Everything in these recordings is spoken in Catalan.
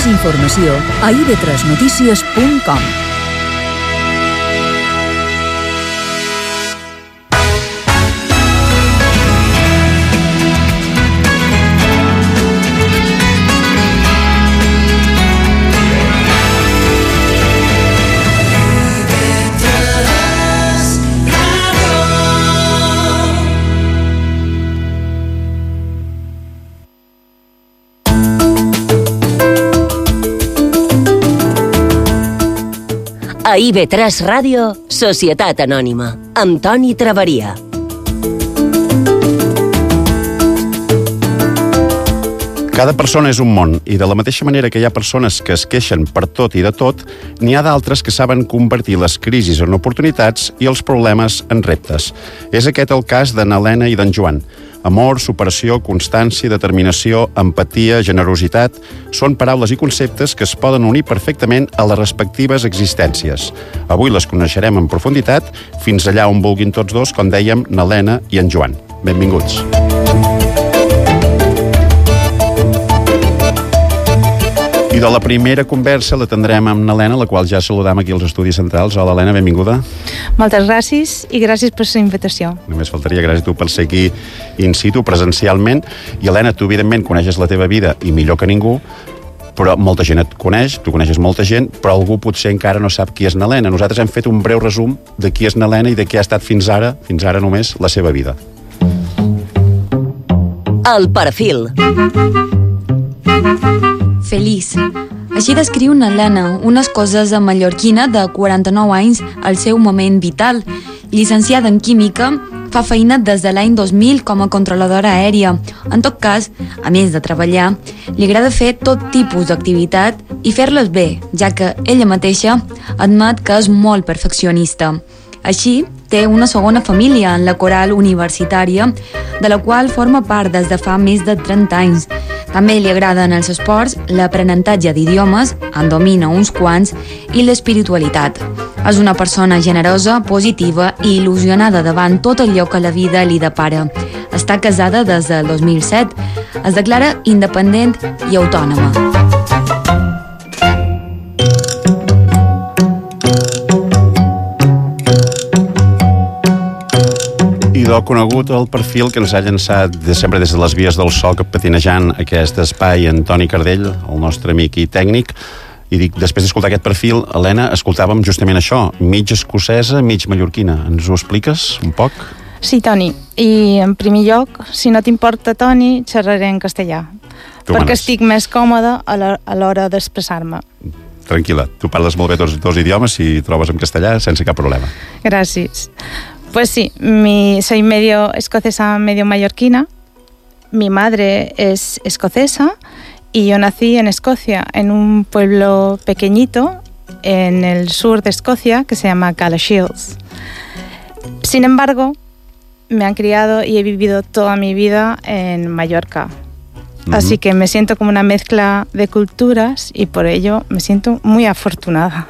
Més informació a ib3notícies.com. A IB3 Ràdio, Societat Anònima, amb Toni Traveria. Cada persona és un món, i de la mateixa manera que hi ha persones que es queixen per tot i de tot, n'hi ha d'altres que saben convertir les crisis en oportunitats i els problemes en reptes. És aquest el cas de n'Helena i d'en Joan. Amor, superació, constància, determinació, empatia, generositat són paraules i conceptes que es poden unir perfectament a les respectives existències. Avui les coneixerem en profunditat, fins allà on vulguin tots dos, com dèiem, n'Helena i en Joan. Benvinguts. I de la primera conversa la tindrem amb n'Helena, la qual ja saludam aquí als Estudis Centrals. Hola, Helena, benvinguda. Moltes gràcies i gràcies per la invitació. Només faltaria, gràcies a tu per ser aquí in situ, presencialment. I, Helena, tu evidentment coneixes la teva vida i millor que ningú, però molta gent et coneix, tu coneixes molta gent, però algú potser encara no sap qui és n'Helena. Nosaltres hem fet un breu resum de qui és n'Helena i de què ha estat fins ara només, la seva vida. El perfil. Feliç. Així descriu n'Helena unes coses a mallorquina de 49 anys al seu moment vital. Llicenciada en Química, fa feina des de l'any 2000 com a controladora aèria. En tot cas, a més de treballar, li agrada fer tot tipus d'activitat i fer-les bé, ja que ella mateixa admet que és molt perfeccionista. Així, té una segona família en la coral universitària, de la qual forma part des de fa més de 30 anys. També li agraden els esports, l'aprenentatge d'idiomes, en domina uns quants, i l'espiritualitat. És una persona generosa, positiva i il·lusionada davant tot allò que la vida li depara. Està casada des del 2007. Es declara independent i autònoma. Idò conegut el perfil que ens ha llançat sempre des de les vies del so, patinejant aquest espai en Toni Cardell, el nostre amic i tècnic. I dic, després d'escoltar aquest perfil, Helena, escoltàvem justament això, mig escocesa, mig mallorquina. Ens ho expliques un poc? Sí, Toni. I en primer lloc, si no t'importa, Toni, xerraré en castellà. Perquè estic més còmoda a l'hora d'expressar-me. Tranquil·la, tu parles molt bé dos idiomes i trobes en castellà sense cap problema. Gràcies. Pues sí, soy medio escocesa, medio mallorquina. Mi madre es escocesa y yo nací en Escocia, en un pueblo pequeñito en el sur de Escocia que se llama Galashiels. Sin embargo, me han criado y he vivido toda mi vida en Mallorca. Así que me siento como una mezcla de culturas y por ello me siento muy afortunada.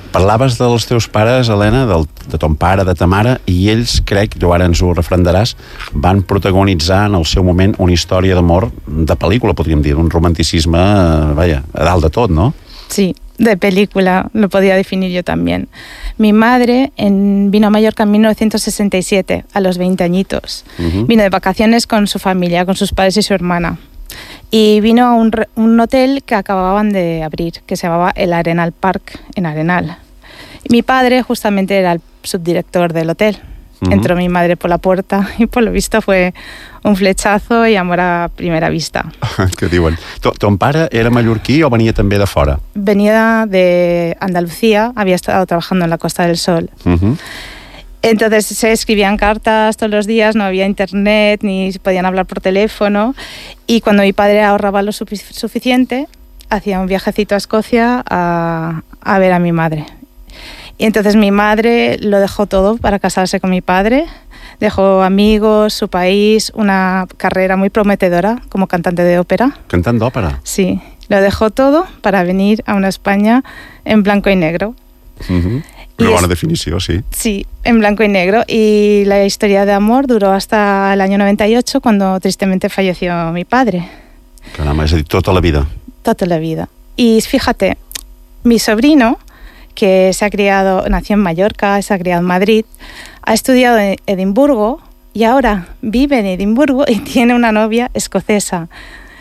Parlaves dels teus pares, Helena, de ton pare, de ta mare, i ells, crec, tu ara ens ho refrendaràs, van protagonitzar en el seu moment una història d'amor de pel·lícula, podríem dir, un romanticisme, a dalt de tot, ¿no? Sí, de película, lo podía definir yo también. Mi madre vino a Mallorca en 1967, a los 20 añitos. Vino de vacaciones con su familia, con sus padres y su hermana. Y vino a un hotel que acababan de abrir, que se llamaba el Arenal Park, en Arenal. Y mi padre justamente era el subdirector del hotel. Entró mi madre por la puerta y por lo visto fue un flechazo y amor a primera vista. Què diuen? Ton pare era mallorquí o venia també de fora? Venía de Andalucía, había estado trabajando en la Costa del Sol. Entonces se escribían cartas todos los días, no había internet, ni se podían hablar por teléfono. Y cuando mi padre ahorraba lo suficiente, hacía un viajecito a Escocia a ver a mi madre. Y entonces mi madre lo dejó todo para casarse con mi padre. Dejó amigos, su país, una carrera muy prometedora como cantante de ópera. ¿Cantant d'òpera? Sí, lo dejó todo para venir a una España en blanco y negro. Una buena definició, sí. Sí, en blanco y negro. Y la historia de amor duró hasta el año 98, cuando tristemente falleció mi padre. Caramba, és a dir, tota la vida. toda la vida. Y fíjate, mi sobrino, que nació en Mallorca, se ha criado en Madrid, ha estudiado en Edimburgo y ahora vive en Edimburgo y tiene una novia escocesa.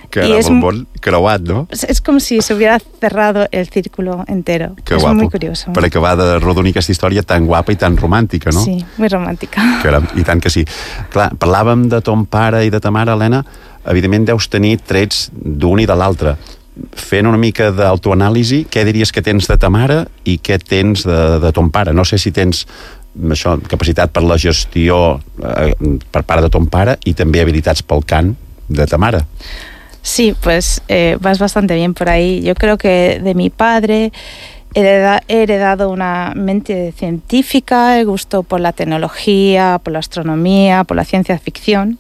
Que és molt creuat, no? És com si se hubiera cerrado el círculo entero. Que es guapo. muy curioso. Per acabar de rodonir aquesta història tan guapa i tan romàntica, no? Sí, muy romàntica. Caram, i tant que sí. Clar, parlàvem de ton pare i de ta mare, Helena, evidentment deus tenir trets d'un i de l'altre. Fent una mica d'autoanàlisi, què diries que tens de ta mare i què tens de ton pare? No sé si tens això, capacitat per la gestió per part de ton pare i també habilitats pel cant de ta mare. Sí, pues vas bastante bien por ahí. Yo creo que de mi padre he heredado una mente científica, el gusto por la tecnología, por la astronomía, por la ciencia ficción,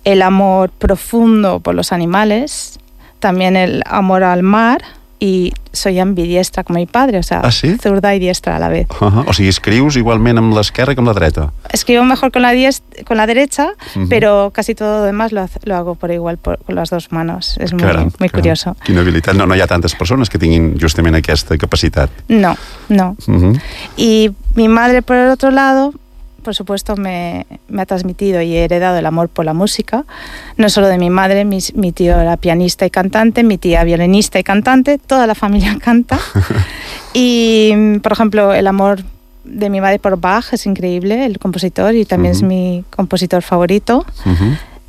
el amor profundo por los animales, también el amor al mar, y soy ambidiestra como mi padre, o sea, ¿sí? Zurda y diestra a la vez. O sigui, escrius igualment amb l'esquerra que amb la dreta. Escribo mejor con la derecha, pero casi todo lo demás lo hago por igual con las dos manos. Es muy curioso. Quina habilitat. No hi ha tantes persones que tinguin justament aquesta capacitat. No. Y mi madre, por el otro lado, por supuesto me ha transmitido y he heredado el amor por la música, no solo de mi madre, mi tío era pianista y cantante, mi tía violinista y cantante, toda la familia canta. Y, por ejemplo, el amor de mi madre por Bach es increíble, el compositor, y también es mi compositor favorito.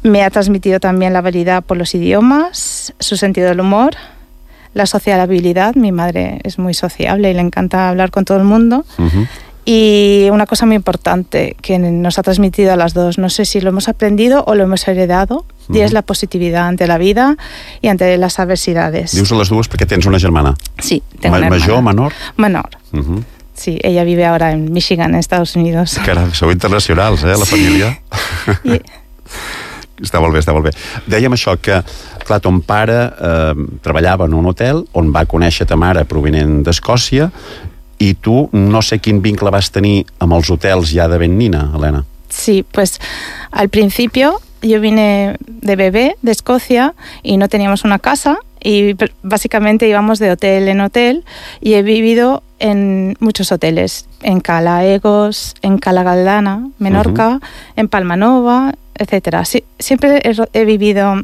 Me ha transmitido también la habilidad por los idiomas, su sentido del humor, la sociabilidad. Mi madre es muy sociable y le encanta hablar con todo el mundo. Y una cosa muy importante que nos ha transmitido a las dos, no sé si lo hemos aprendido o lo hemos heredado, y es la positividad ante la vida y ante las adversidades. Dius a les dues perquè tens una germana. Sí, tengo una hermana. ¿Major o menor? Menor. Sí, ella vive ahora en Michigan, en Estados Unidos. Caram, sou internacionals, la família. Està molt bé. Dèiem això, que clar, ton pare treballava en un hotel on va conèixer ta mare provinent d'Escòcia. I tu, no sé quin vincle vas tenir amb els hotels ja de ben nina, Helena. Sí, pues al principio yo vine de bebé de Escocia y no teníamos una casa y básicamente íbamos de hotel en hotel y he vivido en muchos hoteles, en Cala Egos, en Cala Galdana, Menorca, en Palmanova, etcétera. Sí, siempre he vivido,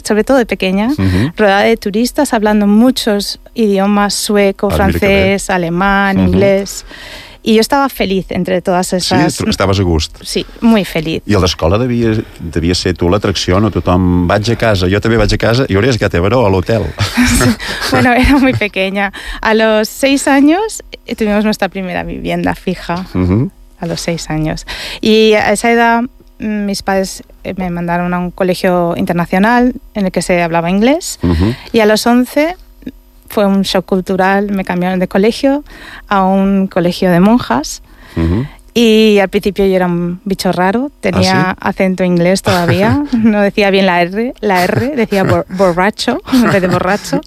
sobre todo de pequeña, rodeada de turistas, hablando muchos idiomas, sueco, francés, alemán, inglés. I jo estava feliç entre totes esas... Sí, estaves a gust. Sí, muy feliz. I a l'escola devia ser tu l'atracció, no? Tothom, vaig a casa, jo també vaig a casa, i hauries quedat a l'hotel. Bueno, era muy pequeña. A los 6 años tuvimos nuestra primera vivienda fija. A los 6 años. Y a esa edad mis padres me mandaron a un colegio internacional en el que se hablaba inglés. Y a los 11... fue un shock cultural, me cambiaron de colegio a un colegio de monjas y al principio yo era un bicho raro, tenía acento inglés todavía, no decía bien la R, decía borracho en vez de borracho.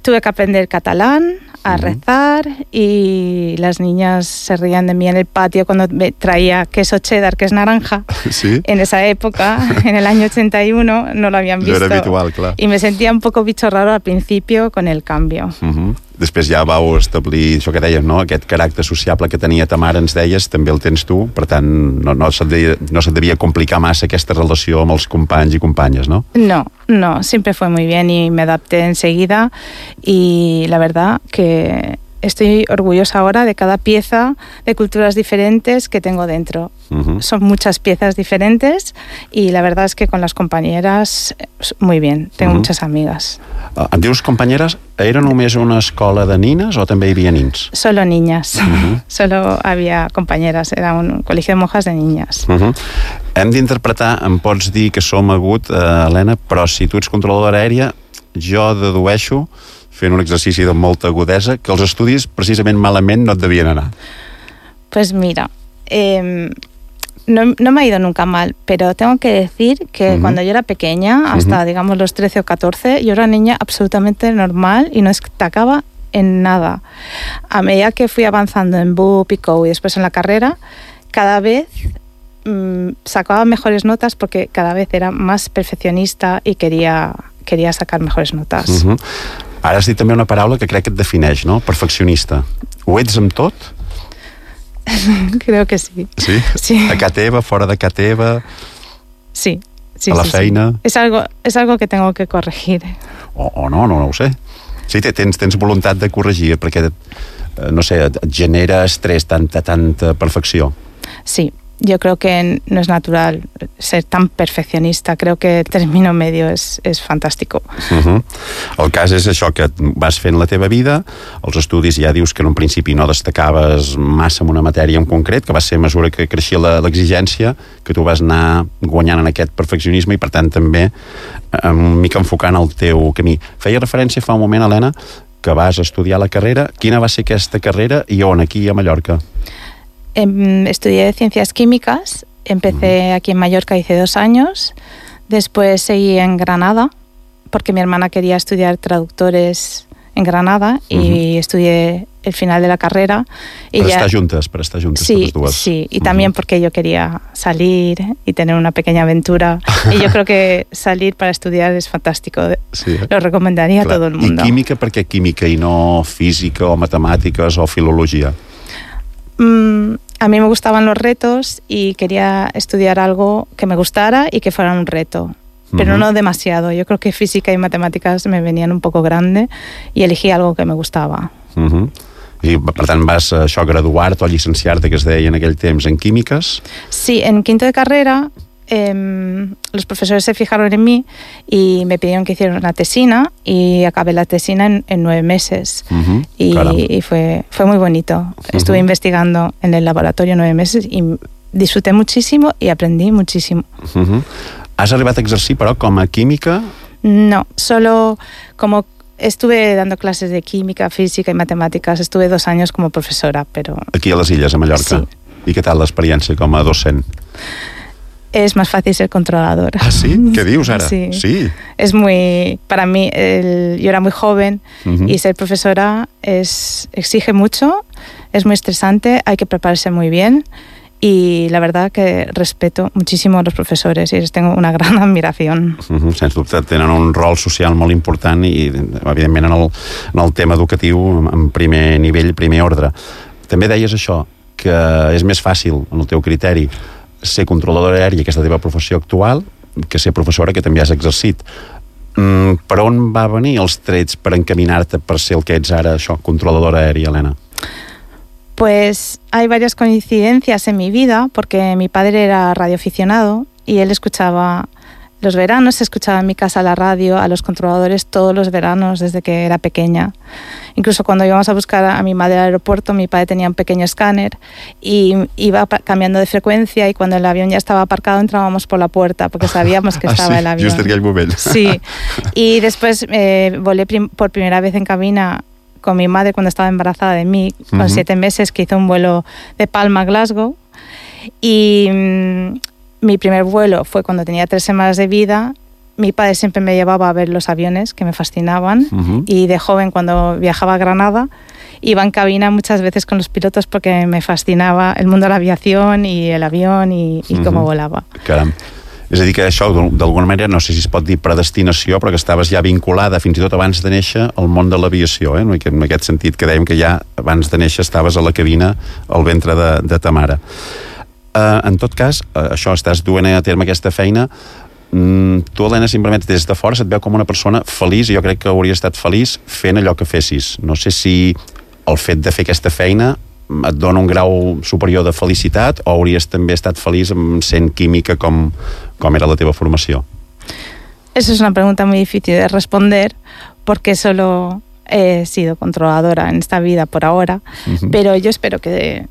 Tuve que aprender catalán, a rezar, y las niñas se reían de mí en el patio cuando me traía queso cheddar, que es naranja. ¿Sí? En esa época, en el año 81, no lo habían visto. No era habitual, clar. Y me sentía un poco bicho raro al principio con el cambio. Després ja vau establir això que deies, no? Aquest caràcter sociable que tenia ta mare, ens deies, també el tens tu, per tant, no se't devia complicar massa aquesta relació amb els companys i companyes, no? No, siempre fue muy bien y me adapté enseguida, y la verdad que estoy orgullosa ahora de cada pieza de culturas diferentes que tengo dentro. Son muchas piezas diferentes y la verdad es que con las compañeras muy bien, tengo muchas amigas. Em dius companyeres, era només una escola de nines o també hi havia nins? Solo niñas, solo había compañeras, era un colegio de monjas de niñas. Hem d'interpretar, em pots dir que som agut, Helena, però si tu ets controladora aèria, jo dedueixo, fent un exercici de molta agudesa, que els estudis precisament malament no et devien anar. Pues mira, no me ha ido nunca mal, pero tengo que decir que cuando yo era pequeña, hasta digamos los 13 o 14, yo era una niña absolutamente normal y no destacaba en nada. A medida que fui avanzando en BUP y COU y después en la carrera, cada vez sacaba mejores notas porque cada vez era más perfeccionista y quería quería sacar mejores notas. Ara has dit també una paraula que crec que et defineix, no? Perfeccionista. Ho ets amb tot? Creo que sí. Sí? Sí. A casa teva, fora de casa teva? Sí. A la feina? Sí. Es algo que tengo que corregir. O no ho sé. Sí, tens voluntat de corregir, perquè, no sé, et genera estrès tanta perfecció. Sí. Yo creo que no es natural ser tan perfeccionista. Creo que el término medio es fantástico. El cas és això, que vas fent la teva vida, els estudis ja dius que en un principi no destacaves massa en una matèria en concret, que va ser a mesura que creixia l'exigència, que tu vas anar guanyant en aquest perfeccionisme i per tant també mica enfocant el teu camí. Feia referència fa un moment, Helena, que vas estudiar la carrera. Quina va ser aquesta carrera i on, aquí a Mallorca? Estudié Ciencias Químicas, empecé aquí en Mallorca, hice 2 años, después seguí en Granada, porque mi hermana quería estudiar traductores en Granada y estudié el final de la carrera. Y para estar juntas sí, todas duas. Sí, y también porque yo quería salir y tener una pequeña aventura. Y yo creo que salir para estudiar es fantástico. Sí, lo recomendaría a todo el mundo. ¿Y química? ¿Por qué química y no física o matemáticas o filología? A mí me gustaban los retos y quería estudiar algo que me gustara y que fuera un reto, pero no demasiado. Yo creo que física y matemáticas me venían un poco grande y elegí algo que me gustaba. I per tant vas graduar-te o llicenciar-te, que es deia en aquell temps, en químiques? Sí, en quinto de carrera los profesores se fijaron en mí y me pidieron que hiciera una tesina y acabé la tesina en 9 meses y fue muy bonito. Estuve investigando en el laboratorio 9 meses y disfruté muchísimo y aprendí muchísimo. ¿Has arribat a exercir, però, com a química? No, solo como estuve dando clases de química, física y matemáticas. Estuve 2 años como profesora, pero... Aquí a les Illes, a Mallorca? Sí. I què tal l'experiència com a docent? Es más fácil ser controladora. ¿Ah, sí? ¿Qué dius ara? Sí. Es muy... Para mí, yo era muy joven y ser profesora exige mucho, es muy estresante, hay que prepararse muy bien y la verdad que respeto muchísimo a los profesores y les tengo una gran admiración. Sens dubte, tenen un rol social molt important i, evidentment, en el tema educatiu en primer nivell, primer ordre. També deies això, que és més fàcil, en el teu criteri, ser controladora aèria, aquesta teva professió actual, que ser professora, que també has exercit. Per on va venir els trets per encaminar-te per ser el que ets ara, això, controladora aèria, Helena? Pues hay varias coincidencias en mi vida, porque mi padre era radioaficionado y él escuchaba los veranos, escuchaba en mi casa la radio, a los controladores todos los veranos desde que era pequeña. Incluso cuando íbamos a buscar a mi madre al aeropuerto, mi padre tenía un pequeño escáner y iba cambiando de frecuencia y cuando el avión ya estaba aparcado entrábamos por la puerta porque sabíamos que estaba el avión. Just en aquell moment. Sí, y después volé por primera vez en cabina con mi madre cuando estaba embarazada de mí, con 7 meses, que hizo un vuelo de Palma a Glasgow. Y mi primer vuelo fue cuando tenía 3 semanas de vida. Mi padre siempre me llevaba a ver los aviones, que me fascinaban. Y de joven, cuando viajaba a Granada, iba en cabina muchas veces con los pilotos porque me fascinaba el mundo de la aviación y el avión y cómo volava. Caram. És a dir, que això, d'alguna manera, no sé si es pot dir predestinació, però que estaves ja vinculada, fins i tot abans de néixer, al món de l'aviació, en aquest sentit que dèiem que ja abans de néixer estaves a la cabina al ventre de ta mare. En tot cas, això, estàs duent a terme aquesta feina. Tu, Helena, simplement des de fora se't veu com una persona feliç, i jo crec que hauries estat feliç fent allò que fessis. No sé si el fet de fer aquesta feina et dona un grau superior de felicitat o hauries també estat feliç sent química com era la teva formació? Eso es una pregunta muy difícil de responder porque solo he sido controladora en esta vida por ahora, pero yo espero que...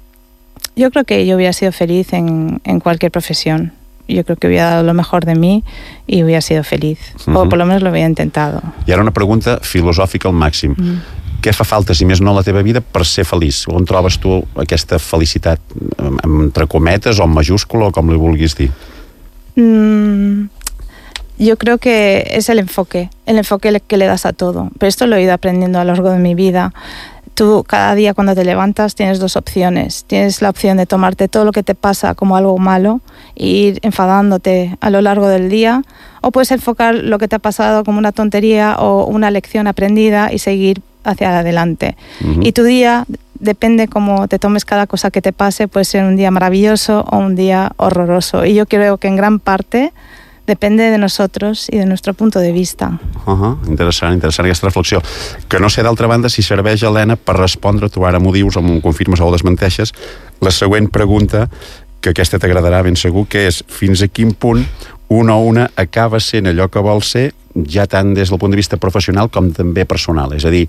Yo creo que yo hubiera sido feliz en cualquier profesión. Yo creo que hubiera dado lo mejor de mí y hubiera sido feliz. O por lo menos lo hubiera intentado. I ara una pregunta filosòfica al màxim. Què fa falta, si més no, a la teva vida per ser feliç? On trobes tu aquesta felicitat? Entre cometes o en majúscula o com li vulguis dir? Yo creo que es el enfoque que le das a todo. Pero esto lo he ido aprendiendo a lo largo de mi vida. Tú cada día cuando te levantas tienes 2 opciones. Tienes la opción de tomarte todo lo que te pasa como algo malo e ir enfadándote a lo largo del día, o puedes enfocar lo que te ha pasado como una tontería o una lección aprendida y seguir hacia adelante. Y tu día, depende cómo te tomes cada cosa que te pase, puede ser un día maravilloso o un día horroroso. Y yo creo que en gran parte depende de nosotros i de nostre punt de vista. Interessant aquesta reflexió. Que no sé, d'altra banda, si serveix, Helena, per respondre, tu ara m'ho dius o m'ho confirmes o ho desmenteixes, la següent pregunta, que aquesta t'agradarà ben segur, que és fins a quin punt una acaba sent allò que vol ser, ja tant des del punt de vista professional com també personal. És a dir,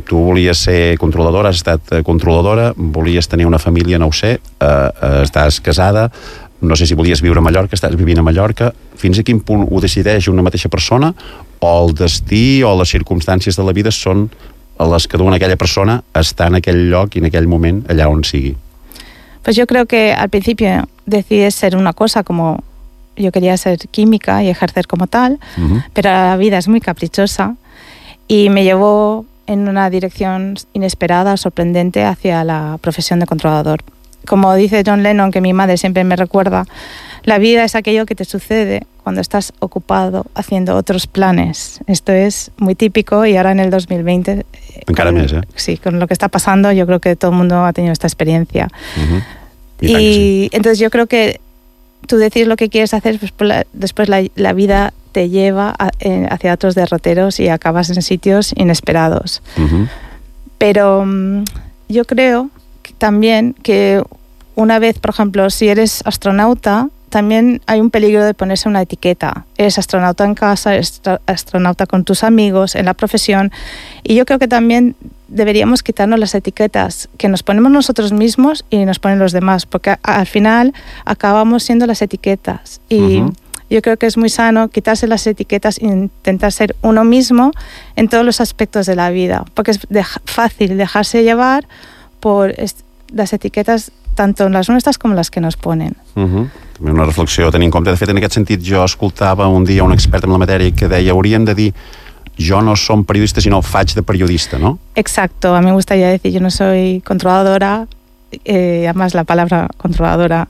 tu volies ser controladora, has estat controladora, volies tenir una família, no ho sé, estàs casada, no sé si volies viure a Mallorca, estàs vivint a Mallorca, fins a quin punt ho decideix una mateixa persona o el destí o les circumstàncies de la vida són les que duen aquella persona a estar en aquell lloc i en aquell moment allà on sigui? Pues yo creo que al principio decides ser una cosa, como yo quería ser química y ejercer como tal, pero la vida es muy caprichosa y me llevó en una dirección inesperada, sorprendente, hacia la profesión de controlador. Como dice John Lennon, que mi madre siempre me recuerda, la vida es aquello que te sucede cuando estás ocupado haciendo otros planes. Esto es muy típico y ahora en el 2020... Encara més, Sí, con lo que está pasando, yo creo que todo el mundo ha tenido esta experiencia. Y sí. Entonces yo creo que tú decides lo que quieres hacer, después la vida te lleva hacia otros derroteros y acabas en sitios inesperados. Pero yo creo también que una vez, por ejemplo, si eres astronauta, también hay un peligro de ponerse una etiqueta. Eres astronauta en casa, eres astronauta con tus amigos, en la profesión. Y yo creo que también deberíamos quitarnos las etiquetas que nos ponemos nosotros mismos y nos ponen los demás, porque al final acabamos siendo las etiquetas. Y yo creo que es muy sano quitarse las etiquetas e intentar ser uno mismo en todos los aspectos de la vida, porque es fácil dejarse llevar por las etiquetes tanto les nostres com les que nos ponen. Una reflexió a tenir en compte. De fet, en aquest sentit, jo escoltava un dia un expert en la matèria que deia hauríem de dir yo no soy periodista, sino faig de periodista, ¿no? Exacto, a mí me gustaría decir yo no soy controladora, además la palabra controladora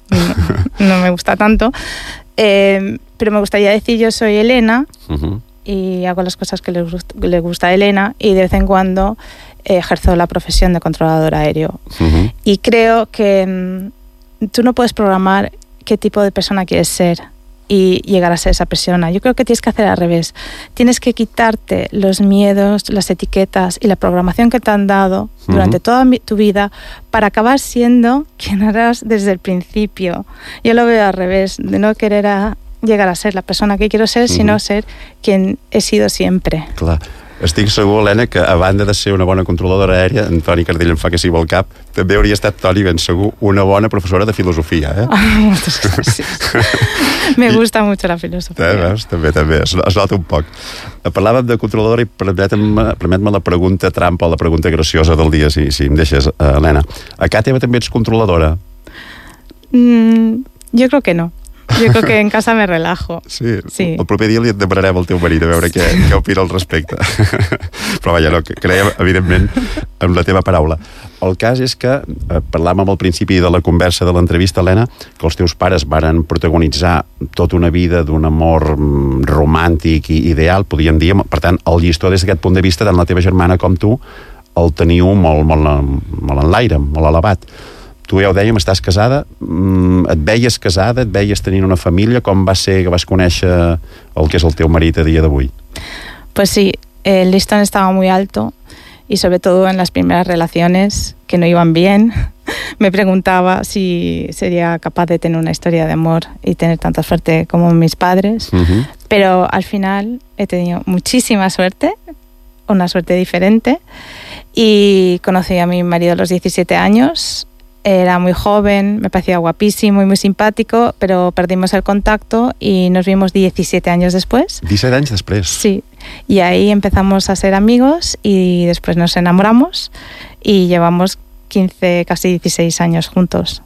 no me gusta tanto, pero me gustaría decir yo soy Elena y hago las cosas que le gusta a Elena y de vez en cuando ejerzo la profesión de controlador aéreo. Y creo que tú no puedes programar qué tipo de persona quieres ser y llegar a ser esa persona. Yo creo que tienes que hacer al revés. Tienes que quitarte los miedos, las etiquetas y la programación que te han dado durante toda tu vida para acabar siendo quien eras desde el principio. Yo lo veo al revés, de no querer llegar a ser la persona que quiero ser, sino ser quien he sido siempre. Clar. Estic segur, Helena, que a banda de ser una bona controladora aèria, en Toni Cardell em fa que sí vol cap, també hauria estat, Toni, ben segur, una bona professora de filosofia, eh? Moltes gràcies. Me gusta mucho la filosofia. Veus? També, es nota un poc. Parlàvem de controladora i permet-me la pregunta trampa o la pregunta graciosa del dia, si em deixes, Helena. A casa teva també ets controladora? Jo crec que no. Jo crec que en casa me relajo. Sí. El proper dia li demanarem al teu marit a veure què opina al respecte. Però vaja, no, creiem, evidentment, en la teva paraula. El cas és que, parlàvem al principi de la conversa de l'entrevista, Helena, que els teus pares varen protagonitzar tota una vida d'un amor romàntic i ideal, podríem dir. Per tant, el llistó des d'aquest punt de vista, tant la teva germana com tu, el teniu molt en l'aire, molt elevat. Tu ja ho dèiem, estàs casada, et veies casada, et veies tenint una família, com va ser que vas conèixer el que és el teu marit a dia d'avui? Pues sí, el listón estaba muy alto y sobre todo en las primeras relaciones que no iban bien, me preguntaba si sería capaz de tener una historia de amor y tener tanta suerte como mis padres, pero al final he tenido muchísima suerte, una suerte diferente, y conocí a mi marido a los 17 años. Era muy joven, me parecía guapísimo y muy simpático, pero perdimos el contacto y nos vimos 17 años después. 17 anys després? Sí, y ahí empezamos a ser amigos y después nos enamoramos y llevamos 15, casi 16 años juntos.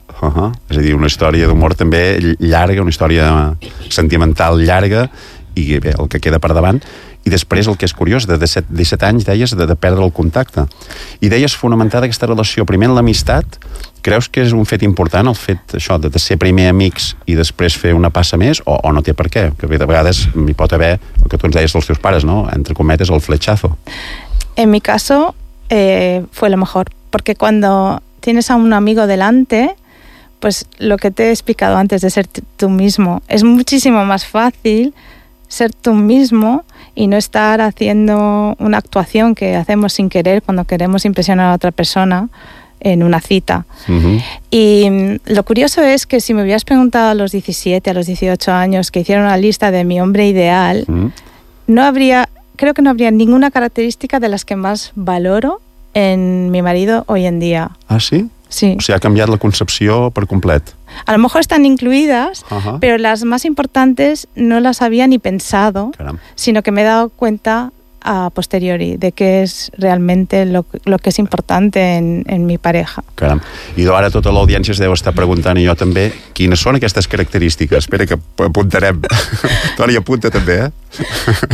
És a dir, una història d'amor també llarga, una història sentimental llarga i bé, el que queda per davant. I després, el que és curiós, de 17 anys, deies, de perdre el contacte. I deies fonamentada aquesta relació, primer en l'amistat. Creus que és un fet important, el fet això de ser primer amics i després fer una passa més, o no té per què? Que de vegades hi pot haver, el que tu ens deies dels teus pares, no? Entre cometes, el flechazo. En mi caso fue lo mejor, porque cuando tienes a un amigo delante, pues lo que te he explicado antes de ser tú mismo, es muchísimo más fácil ser tú mismo y no estar haciendo una actuación que hacemos sin querer cuando queremos impresionar a otra persona en una cita. Uh-huh. Y lo curioso es que si me hubieras preguntado a los 17, a los 18 años que hiciera una lista de mi hombre ideal, uh-huh, creo que no habría ninguna característica de las que más valoro en mi marido hoy en día. ¿Ah, sí? Sí. O sigui, ha canviat la concepció per complet. A lo mejor están incluidas, uh-huh, pero las más importantes no las había ni pensado, caram, sino que me he dado cuenta a posteriori de qué es realmente lo que es importante en mi pareja. Caram. I ara tota l'audiència es deu estar preguntant, i jo també, quines són aquestes característiques? Espera que apuntarem. Toni, apunta també,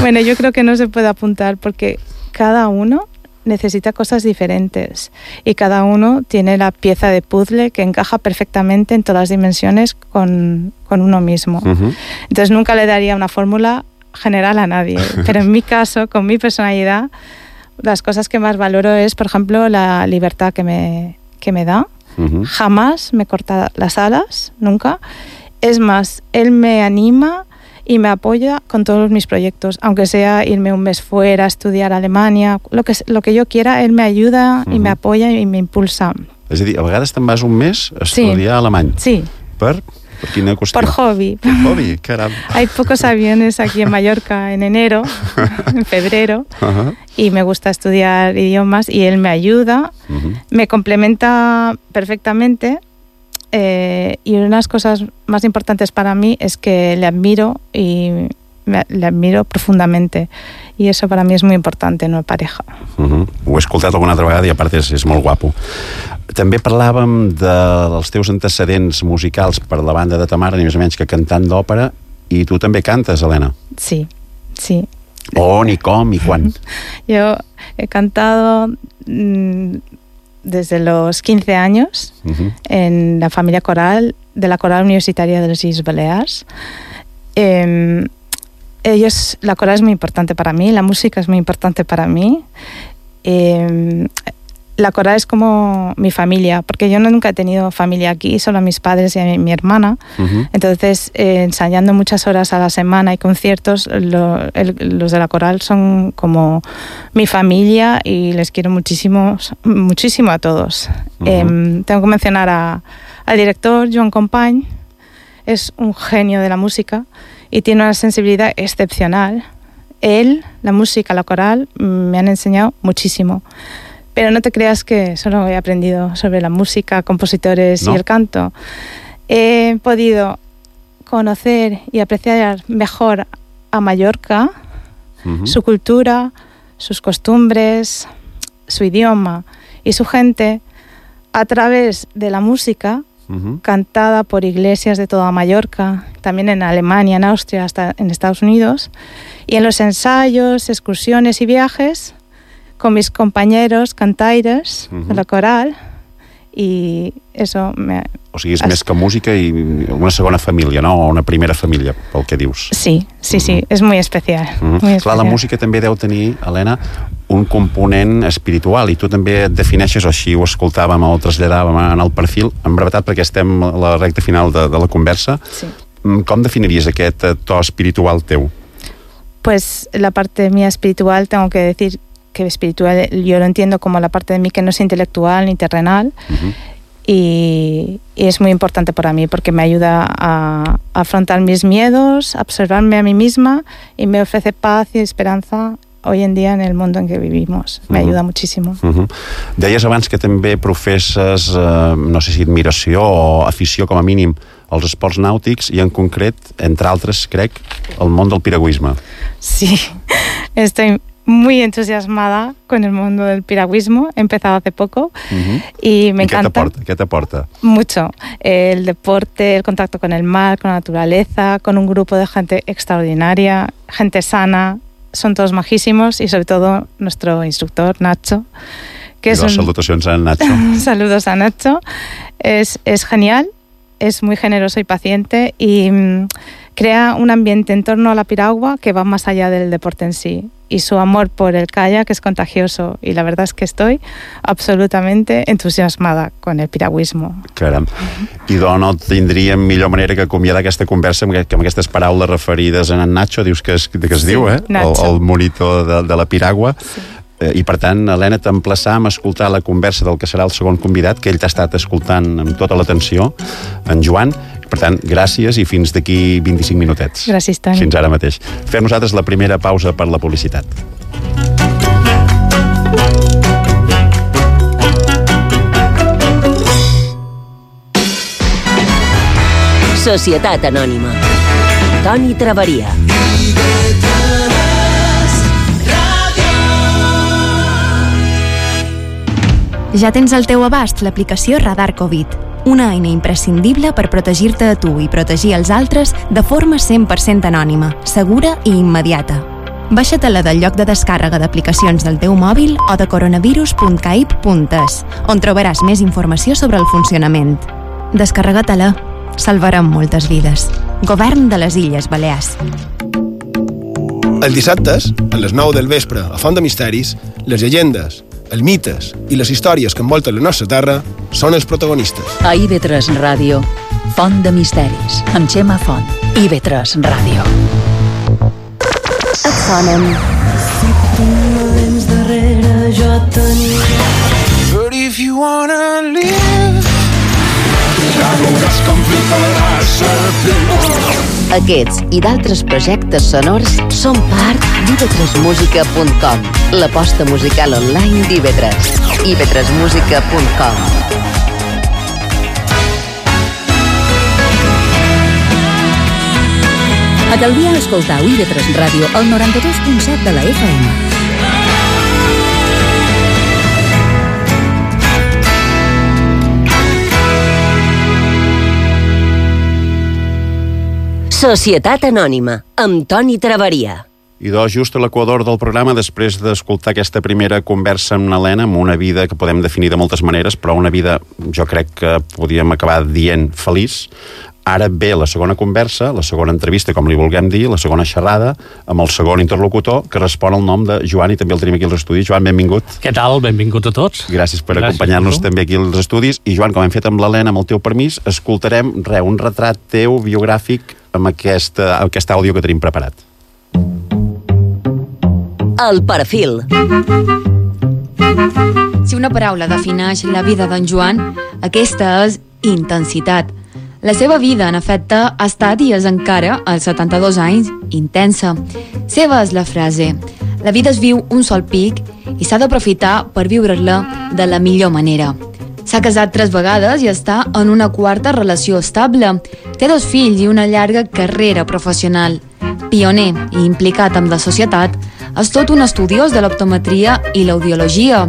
Bueno, yo creo que no se puede apuntar porque cada uno necesita cosas diferentes y cada uno tiene la pieza de puzzle que encaja perfectamente en todas las dimensiones con uno mismo. Uh-huh. Entonces nunca le daría una fórmula general a nadie, pero en mi caso, con mi personalidad, las cosas que más valoro es, por ejemplo, la libertad que me da. Uh-huh. Jamás me corta las alas, nunca. Es más, él me anima y me apoya con todos mis proyectos, aunque sea irme un mes fuera, estudiar a Alemania, lo que yo quiera, él me ayuda, uh-huh, y me apoya y me impulsa. És a dir, a vegades te'n vas un mes a estudiar alemany. Sí. Per quina qüestió? Por hobby. Por hobby, caram. Hay pocos aviones aquí en Mallorca en enero, en febrero, uh-huh, y me gusta estudiar idiomas y él me ayuda, uh-huh, me complementa perfectamente. Y una de las cosas más importantes para mí es que le admiro y le admiro profundamente, y eso para mí es muy importante en una pareja. Uh-huh. Ho he escoltat alguna altra vegada i a part és molt guapo. També parlàvem dels teus antecedents musicals per la banda de ta mare, ni més o menys que cantant d'òpera, i tu també cantes, Helena. Sí, sí. On i com i quan? Yo he cantado desde los 15 años, uh-huh, en la familia coral de la Coral Universitaria de las Islas Baleares. La coral es muy importante para mí, la música es muy importante para mí. La coral es como mi familia, porque yo nunca he tenido familia aquí, solo a mis padres y a mi hermana. Uh-huh. Entonces, ensayando muchas horas a la semana y conciertos, los de la coral son como mi familia y les quiero muchísimo, muchísimo a todos. Uh-huh. Tengo que mencionar al director, Joan Company. Es un genio de la música y tiene una sensibilidad excepcional. Él, la música, la coral, me han enseñado muchísimo. Pero no te creas que solo he aprendido sobre la música, compositores, ¿no?, y el canto. He podido conocer y apreciar mejor a Mallorca, uh-huh, su cultura, sus costumbres, su idioma y su gente a través de la música, uh-huh, cantada por iglesias de toda Mallorca, también en Alemania, en Austria, hasta en Estados Unidos, y en los ensayos, excursiones y viajes con mis compañeros cantaires, uh-huh, de la coral, i eso me... O sigui, és més que música i una segona família, no? O una primera família, pel que dius. Sí, sí, sí, és muy especial. Uh-huh. Muy especial. Clar, la música també deu tenir, Helena, un component espiritual, i tu també et defineixes, o així ho escoltàvem o ho traslladàvem en el perfil, en brevetat, perquè estem a la recta final de la conversa. Sí. Com definiries aquest to espiritual teu? Pues la parte mía espiritual, tengo que decir que espiritual yo lo entiendo como la parte de mí que no es intelectual ni terrenal, uh-huh, y es muy importante para mí porque me ayuda a afrontar mis miedos, a observarme a mí misma y me ofrece paz y esperanza hoy en día en el mundo en que vivimos. Me ayuda muchísimo. Uh-huh. Deies abans que també professes, no sé si admiració o afició com a mínim als esports nàutics i en concret, entre altres, crec, el món del piragüisme. Sí, estoy muy entusiasmada con el mundo del piragüismo. He empezado hace poco, uh-huh, y me encanta. ¿Qué te aporta? Mucho. El deporte, el contacto con el mar, con la naturaleza, con un grupo de gente extraordinaria, gente sana, son todos majísimos y sobre todo nuestro instructor, Nacho. Salutacions a Nacho. Saludos a Nacho. Es genial, es muy generoso y paciente y crea un ambiente en torno a la piragua que va más allá del deporte en sí. Y su amor por el kayak es contagioso y la verdad es que estoy absolutamente entusiasmada con el piragüismo. Caram. I doncs no tindríem millor manera que acomiadar aquesta conversa amb aquestes paraules referides a en Nacho, dius que es diu, el monitor de la piragua. Sí. I per tant, Helena, t'emplaçam a escoltar la conversa del que serà el segon convidat, que ell t'ha estat escoltant amb tota l'atenció, en Joan. Per tant, gràcies i fins d'aquí 25 minutets. Gràcies, Toni. Fins ara mateix. Fem nosaltres la primera pausa per la publicitat. Societat Anònima. Toni Traveria. Ja tens al teu abast l'aplicació Radar Covid, una eina imprescindible per protegir-te a tu i protegir els altres de forma 100% anònima, segura i immediata. Baixa-te-la del lloc de descàrrega d'aplicacions del teu mòbil o de coronavirus.caip.es, on trobaràs més informació sobre el funcionament. Descarrega-te-la. Salvarem moltes vides. Govern de les Illes Balears. Els dissabtes, a les 9 del vespre, a Font de Misteris, les llegendes, els mites i les històries que envolten la nostra terra són els protagonistes. A IB3 Ràdio, Font de Misteris, amb Xema Font. IB3 Ràdio. Et sonen. Si tu no vens darrere, jo tenia. But if you wanna live, ja veuràs com fliparà serpent. Aquests i d'altres projectes sonors són part d'ib3musica.com, l'aposta musical online d'IB3. ib3musica.com. A Calvià escoltau IB3 Ràdio al 92.7 de la FM. Societat Anònima, amb Toni Traveria. I doncs, just a l'equador del programa, després d'escoltar aquesta primera conversa amb l'Helena, amb una vida que podem definir de moltes maneres, però una vida, jo crec que podíem acabar dient feliç, ara ve la segona conversa, la segona entrevista, com li vulguem dir, la segona xerrada, amb el segon interlocutor, que respon al nom de Joan, i també el tenim aquí als estudis. Joan, benvingut. Què tal? Benvingut a tots. Gràcies per acompanyar-nos també aquí als estudis. I Joan, com hem fet amb l'Helena, amb el teu permís, escoltarem un retrat teu biogràfic amb aquest àudio que tenim preparat. El perfil. Si una paraula defineix la vida d'en Joan, aquesta és intensitat. La seva vida, en efecte, ha estat i és encara, als 72 anys, intensa. Seva és la frase: la vida es viu un sol pic i s'ha d'aprofitar per viure-la de la millor manera. S'ha casat 3 vegades i està en una 4a relació estable. Té 2 fills i una llarga carrera professional. Pioner i implicat amb la societat, és tot un estudiós de l'optometria i l'audiologia.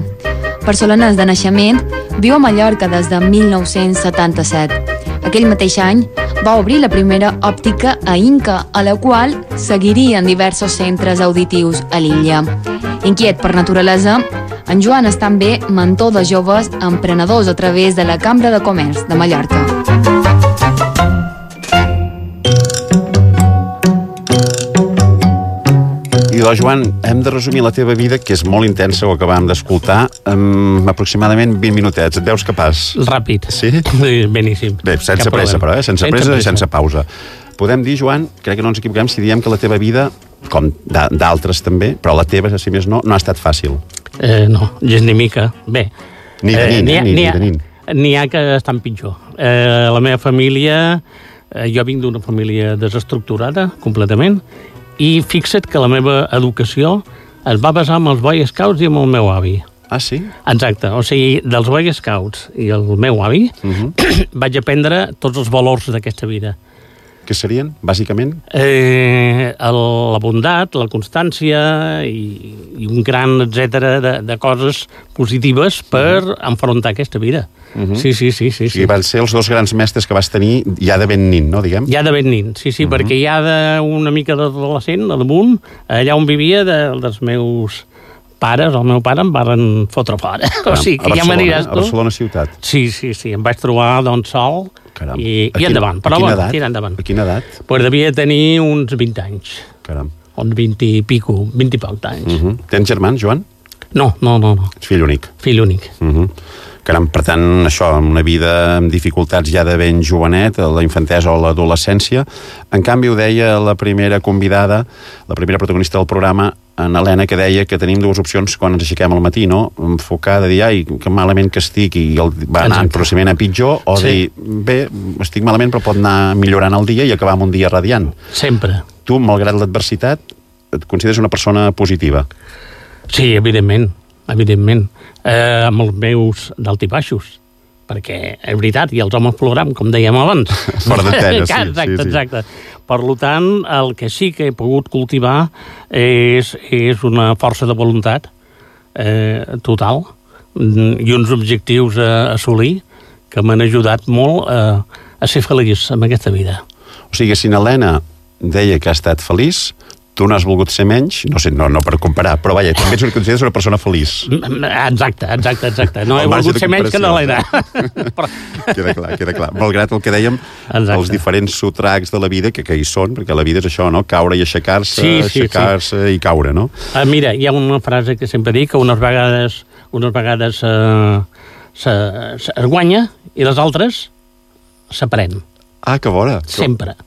Barcelonès de naixement, viu a Mallorca des de 1977. Aquell mateix any va obrir la primera òptica a Inca, a la qual seguirien diversos centres auditius a l'illa. Inquiet per naturalesa, en Joan és també mentor de joves emprenedors a través de la Cambra de Comerç de Mallorca. I doncs, Joan, hem de resumir la teva vida, que és molt intensa, ho acabàvem d'escoltar, amb aproximadament 20 minutets. Et veus capaç? Ràpid. Sí? Beníssim. Bé, sense pressa, però, sense pressa i sense pausa. Podem dir, Joan, crec que no ens equivoquem si diem que la teva vida, com d'altres també, però la teva, si més no ha estat fàcil. No, gens ni mica. Bé. Ni de nint. N'hi ha que estan pitjor. La meva família, jo vinc d'una família desestructurada, completament, i fixa't que la meva educació es va basar en els Boy Scouts i amb el meu avi. Ah, sí? Exacte, o sigui, dels Boy Scouts i el meu avi vaig aprendre tots els valors d'aquesta vida. Què serien, bàsicament? La bondat, la constància i un gran etcètera de coses positives per enfrontar aquesta vida. Sí. O sigui, van ser els dos grans mestres que vas tenir ja de ben nin, no, diguem? Ja de ben nin, sí, perquè ja d'una mica d'adolescent, a damunt, allà on vivia dels meus pares, el meu pare em van fotre fora. O sigui, que ja m'aniràs tu. A Barcelona ciutat? Sí, em vaig trobar doncs sol i endavant. Però bueno, tira endavant. A quina edat? Pues devia tenir uns 20 anys. Caram. Uns 20 i poc d'anys. Tens germans, Joan? No. Ets fill únic? Fill únic. Caram, per tant, això, una vida amb dificultats ja de ben jovenet, la infantesa o l'adolescència. En canvi, ho deia la primera convidada, la primera protagonista del programa, en Helena, que deia que tenim dues opcions quan ens aixequem al matí, no? Enfocar de dir, ai, que malament que estic, i va anar progressivament a pitjor, o dir, bé, estic malament, però pot anar millorant el dia i acabar amb un dia radiant. Sempre. Tu, malgrat l'adversitat, et consideres una persona positiva? Sí, evidentment. Amb els meus dalt i baixos, perquè és veritat, i els homes ploram, com dèiem abans. Fora d'antena, sí. Exacte. Per tant, el que sí que he pogut cultivar és una força de voluntat total i uns objectius a assolir que m'han ajudat molt a ser feliç en aquesta vida. O sigui, si Helena deia que ha estat feliç, tu no has volgut ser menys, no sé, no per comparar, però vaja, també et consideres una persona feliç. Exacte. No he volgut ser menys que l'Helena. Queda clar. Malgrat el que dèiem, els diferents sotracs de la vida, que hi són, perquè la vida és això, no? Caure i aixecar-se, aixecar-se i caure, no? Mira, hi ha una frase que sempre dic, que unes vegades es guanya i les altres s'aprèn. Ah, que bona. Sempre.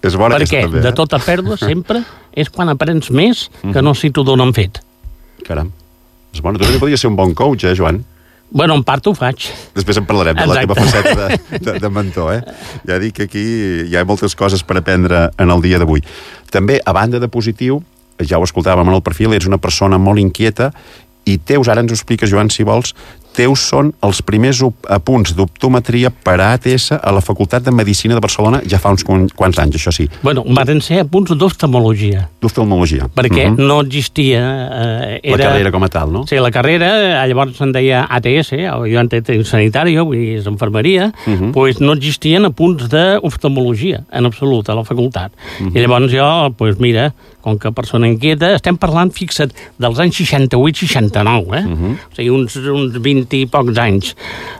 És bona perquè també, de tota pèrdua sempre és quan aprens més que no si t'ho donen fet. Caram. És bona. Tu també podries ser un bon coach, Joan? Bueno, en part ho faig. Després en parlarem de la teva faceta de mentor, Ja dic que aquí hi ha moltes coses per aprendre en el dia d'avui. També, a banda de positiu, ja ho escoltàvem en el perfil, ets una persona molt inquieta i teus, ara ens ho expliques, Joan, si vols, teus són els primers apunts d'optometria per a ATS a la Facultat de Medicina de Barcelona ja fa uns quants anys, això sí. Bueno, van ser apunts d'oftalmologia. D'oftalmologia. Perquè no existia... La carrera com a tal, no? Sí, la carrera, llavors se'n deia ATS, jo en sanitari, vull dir, és infermeria, doncs no existien apunts d'oftalmologia, en absolut, a la facultat. I llavors jo, doncs mira, com que persona inquieta, estem parlant, fixa't, dels anys 68-69, o sigui, uns 20 i pocs anys.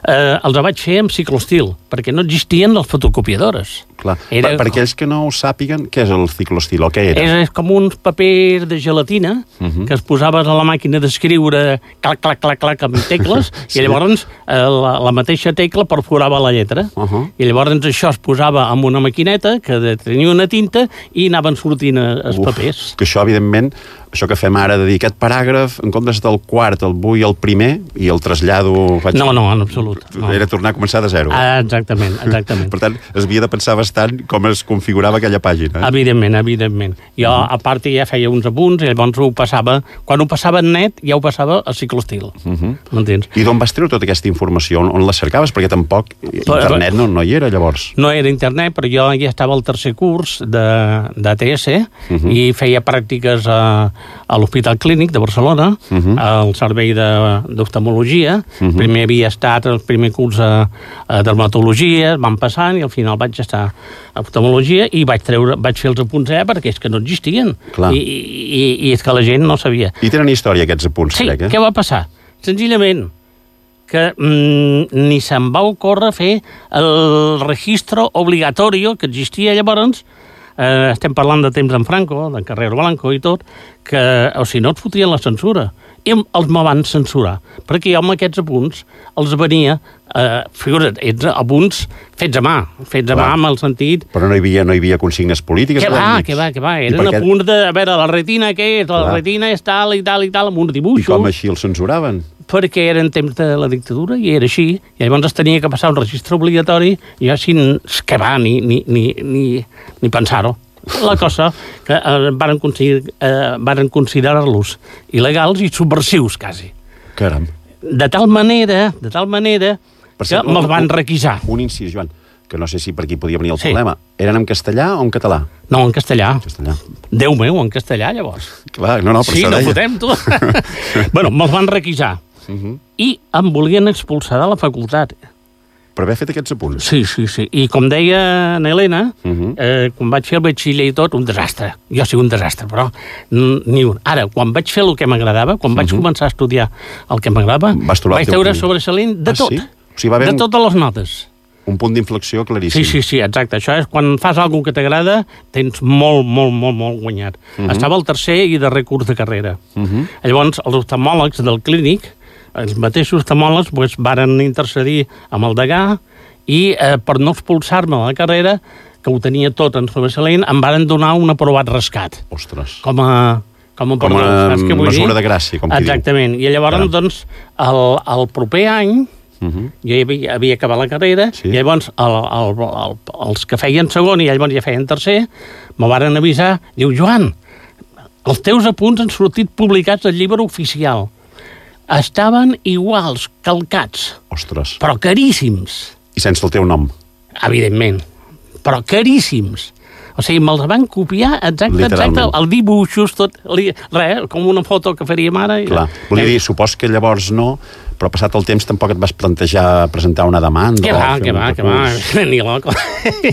Els vaig fer amb ciclostil, perquè no existien les fotocopiadores. Clar. Per aquells que no ho sàpiguen, què és el ciclostil o què era? És com uns papers de gelatina que es posaves a la màquina d'escriure clac, amb tecles, i llavors la mateixa tecla perforava la lletra. I llavors això es posava amb una maquineta que tenia una tinta i anaven sortint els papers. Que això, evidentment, això que fem ara de dir aquest paràgraf, en comptes del quart el vull el primer i el trasllado... No, en absolut. Era tornar a començar de zero. Exactament. Per tant, es havia de pensar bastant com es configurava aquella pàgina. Evidentment. Jo, a part, ja feia uns apunts i llavors ho passava... Quan ho passava en net, ja ho passava a ciclostil. M'entens? I d'on vas treure tota aquesta informació? On la cercaves? Perquè tampoc internet no hi era, llavors. No era internet, però jo ja estava al tercer curs d'ATS i feia pràctiques a l'Hospital Clínic de Barcelona, al servei d'oftalmologia. Primer havia estat el primer curs a dermatologia, van passant i al final vaig estar a oftalmologia i vaig fer els apunts perquè és que no existien. I és que la gent no sabia. I tenen història aquests apunts, crec, eh? Sí, què va passar? Senzillament que ni se'n va ocórrer fer el registro obligatorio que existia llavors. Estem parlant de temps en Franco, de Carrero Blanco i tot, que, o si no, et fotien la censura. I els me van censurar, perquè jo amb aquests apunts els venia, figura't, apunts fets a mà amb el sentit... Però no hi havia consignes polítiques? Què va, eren apunts de, a veure, la retina què és? La retina és tal i tal, amb uns dibuixos. I com així els censuraven? Perquè eren temps de la dictadura i era així, i llavors es tenia que passar un registre obligatori i jo així, que va, ni pensar-ho. La cosa que varen considerar-los il·legals i subversius, quasi. Caram. De tal manera que me'ls van requisar. Un incís, Joan, que no sé si per aquí podia venir el problema, eren en castellà o en català? No, en castellà. Déu meu, en castellà, llavors. Clar, no, per sí, això no deia. fotem, tu. Bueno, me'ls van requisar. I em volien expulsar de la facultat. Per haver fet aquests apunts? Sí. I com deia na Helena, quan vaig fer el batxiller i tot, un desastre. Jo sí, un desastre, però ni un. Ara, quan vaig fer el que m'agradava, quan vaig començar a estudiar el que m'agradava, vaig treure sobresalent de tot. Sí? O sigui, va haver de totes les notes. Un punt d'inflexió claríssim. Sí, exacte. Això és quan fas alguna que t'agrada, tens molt guanyat. Estava al tercer i darrer curs de carrera. Llavors, els oftalmòlegs del clínic, els mateixos oftalmòlegs, varen intercedir amb el degà i per no expulsar-me de la carrera, que ho tenia tot en sobresalent, em varen donar un aprovat rescat. Ostres. Com a mesura de gràcia, com qui diu. Exactament. I llavors, doncs, el proper any, jo havia acabat la carrera, i llavors els que feien segon i llavors ja feien tercer, me varen avisar, diu, Joan, els teus apunts han sortit publicats al llibre oficial. Estaven iguals, calcats. Ostres. Però caríssims. I sense el teu nom. Evidentment. Però caríssims. O sigui, me'ls van copiar exacte, el dibuixos, tot, res, com una foto que faríem ara. Clar, volia dir, supos que llavors no, però passat el temps tampoc et vas plantejar presentar una demanda. Que va, ni loco.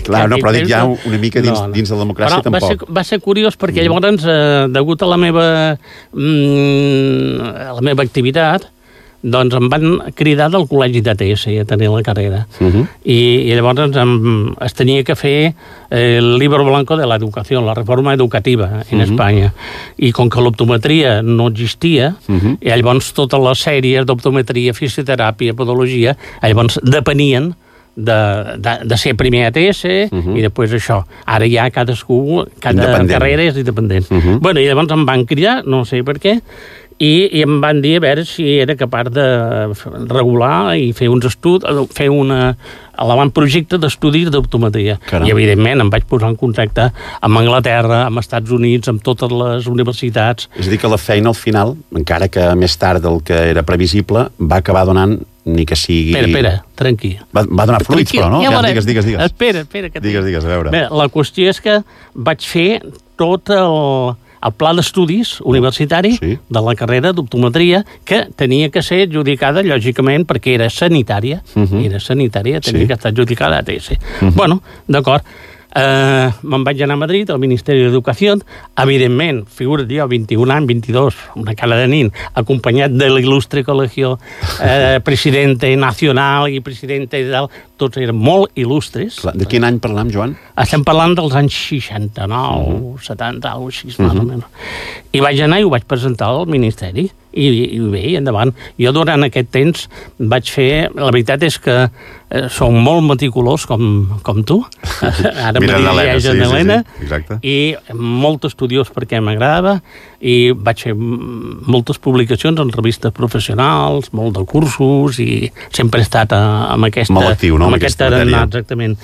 Clar, no, però dic ja una mica dins de la democràcia tampoc. Va ser curiós perquè llavors, degut a la meva activitat, doncs em van cridar del col·legi d'ATS a tenir la carrera. I llavors es tenia que fer el libro blanco de l'educació, la reforma educativa en Espanya. I com que l'optometria no existia, i llavors totes les sèries d'optometria, fisioteràpia, podologia, llavors depenien de ser primer ATS i després això. Ara ja cada carrera és independent. Bueno, i llavors em van cridar, no sé per què, i em van dir a veure si era capaç de regular i fer uns estudis, fer un avantprojecte d'estudis d'optometria. I, evidentment, em vaig posar en contacte amb Anglaterra, amb Estats Units, amb totes les universitats. És a dir, que la feina, al final, encara que més tard del que era previsible, va acabar donant, ni que sigui... Espera, tranquil. Va donar fruits, però, no? Ja digues. Espera. Digues, a veure. Bé, la qüestió és que vaig fer tot el pla d'estudis universitari de la carrera d'optometria, que tenia que ser adjudicada, lògicament, perquè era sanitària. Tenia que estar adjudicada a ATS. Bueno, d'acord. Me'n vaig anar a Madrid, al Ministeri d'Educació, evidentment, figura't jo, 21 anys, 22, una cara de nin, acompanyat de l'il·lustre col·legio presidente nacional i presidente de... Tots eren molt il·lustres. De quin any parlam, Joan? Estem parlant dels anys 69, 70, alguna cosa així, més o menys. I vaig anar i ho vaig presentar al Ministeri. I bé, endavant. Jo durant aquest temps vaig fer... La veritat és que som molt meticulós com tu. Ara me dirigeix en Helena. I molt estudiós perquè m'agradava. I vaig fer moltes publicacions en revistes professionals, molt de cursos, i sempre he estat amb aquesta... Molt actiu, no? Amb aquesta tarannà, exactament.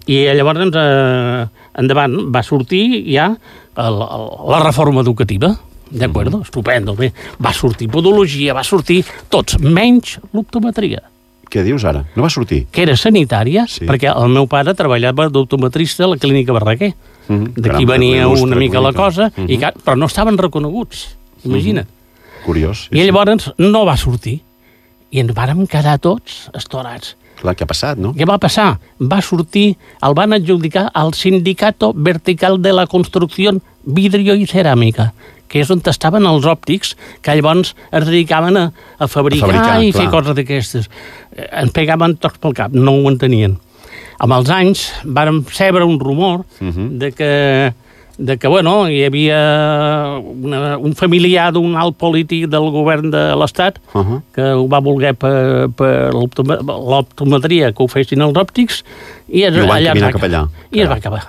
I llavors, endavant, va sortir ja la reforma educativa. D'acord? Estupendo. Bé, va sortir podologia, va sortir tots, menys l'optometria. Què dius ara? No va sortir? Que era sanitària, perquè el meu pare treballava d'optometrista a la clínica Barraquer. D'aquí venia una mica la cosa, però no estaven reconeguts. Imagina't. Curiós. I llavors no va sortir. I ens vàrem quedar tots estorats. Clar, què ha passat, no? Què va passar? Va sortir, el van adjudicar al Sindicato Vertical de la Construcción Vidrio i Ceràmica, que és on estaven els òptics, que llavors es dedicaven a fabricar i fer coses d'aquestes. Ens pegaven tots pel cap, no ho entenien. Amb els anys vàrem rebre un rumor de que bueno, hi havia un familiar d'un alt polític del govern de l'Estat que ho va voler per l'optometria que ho fessin els òptics i es va acabar.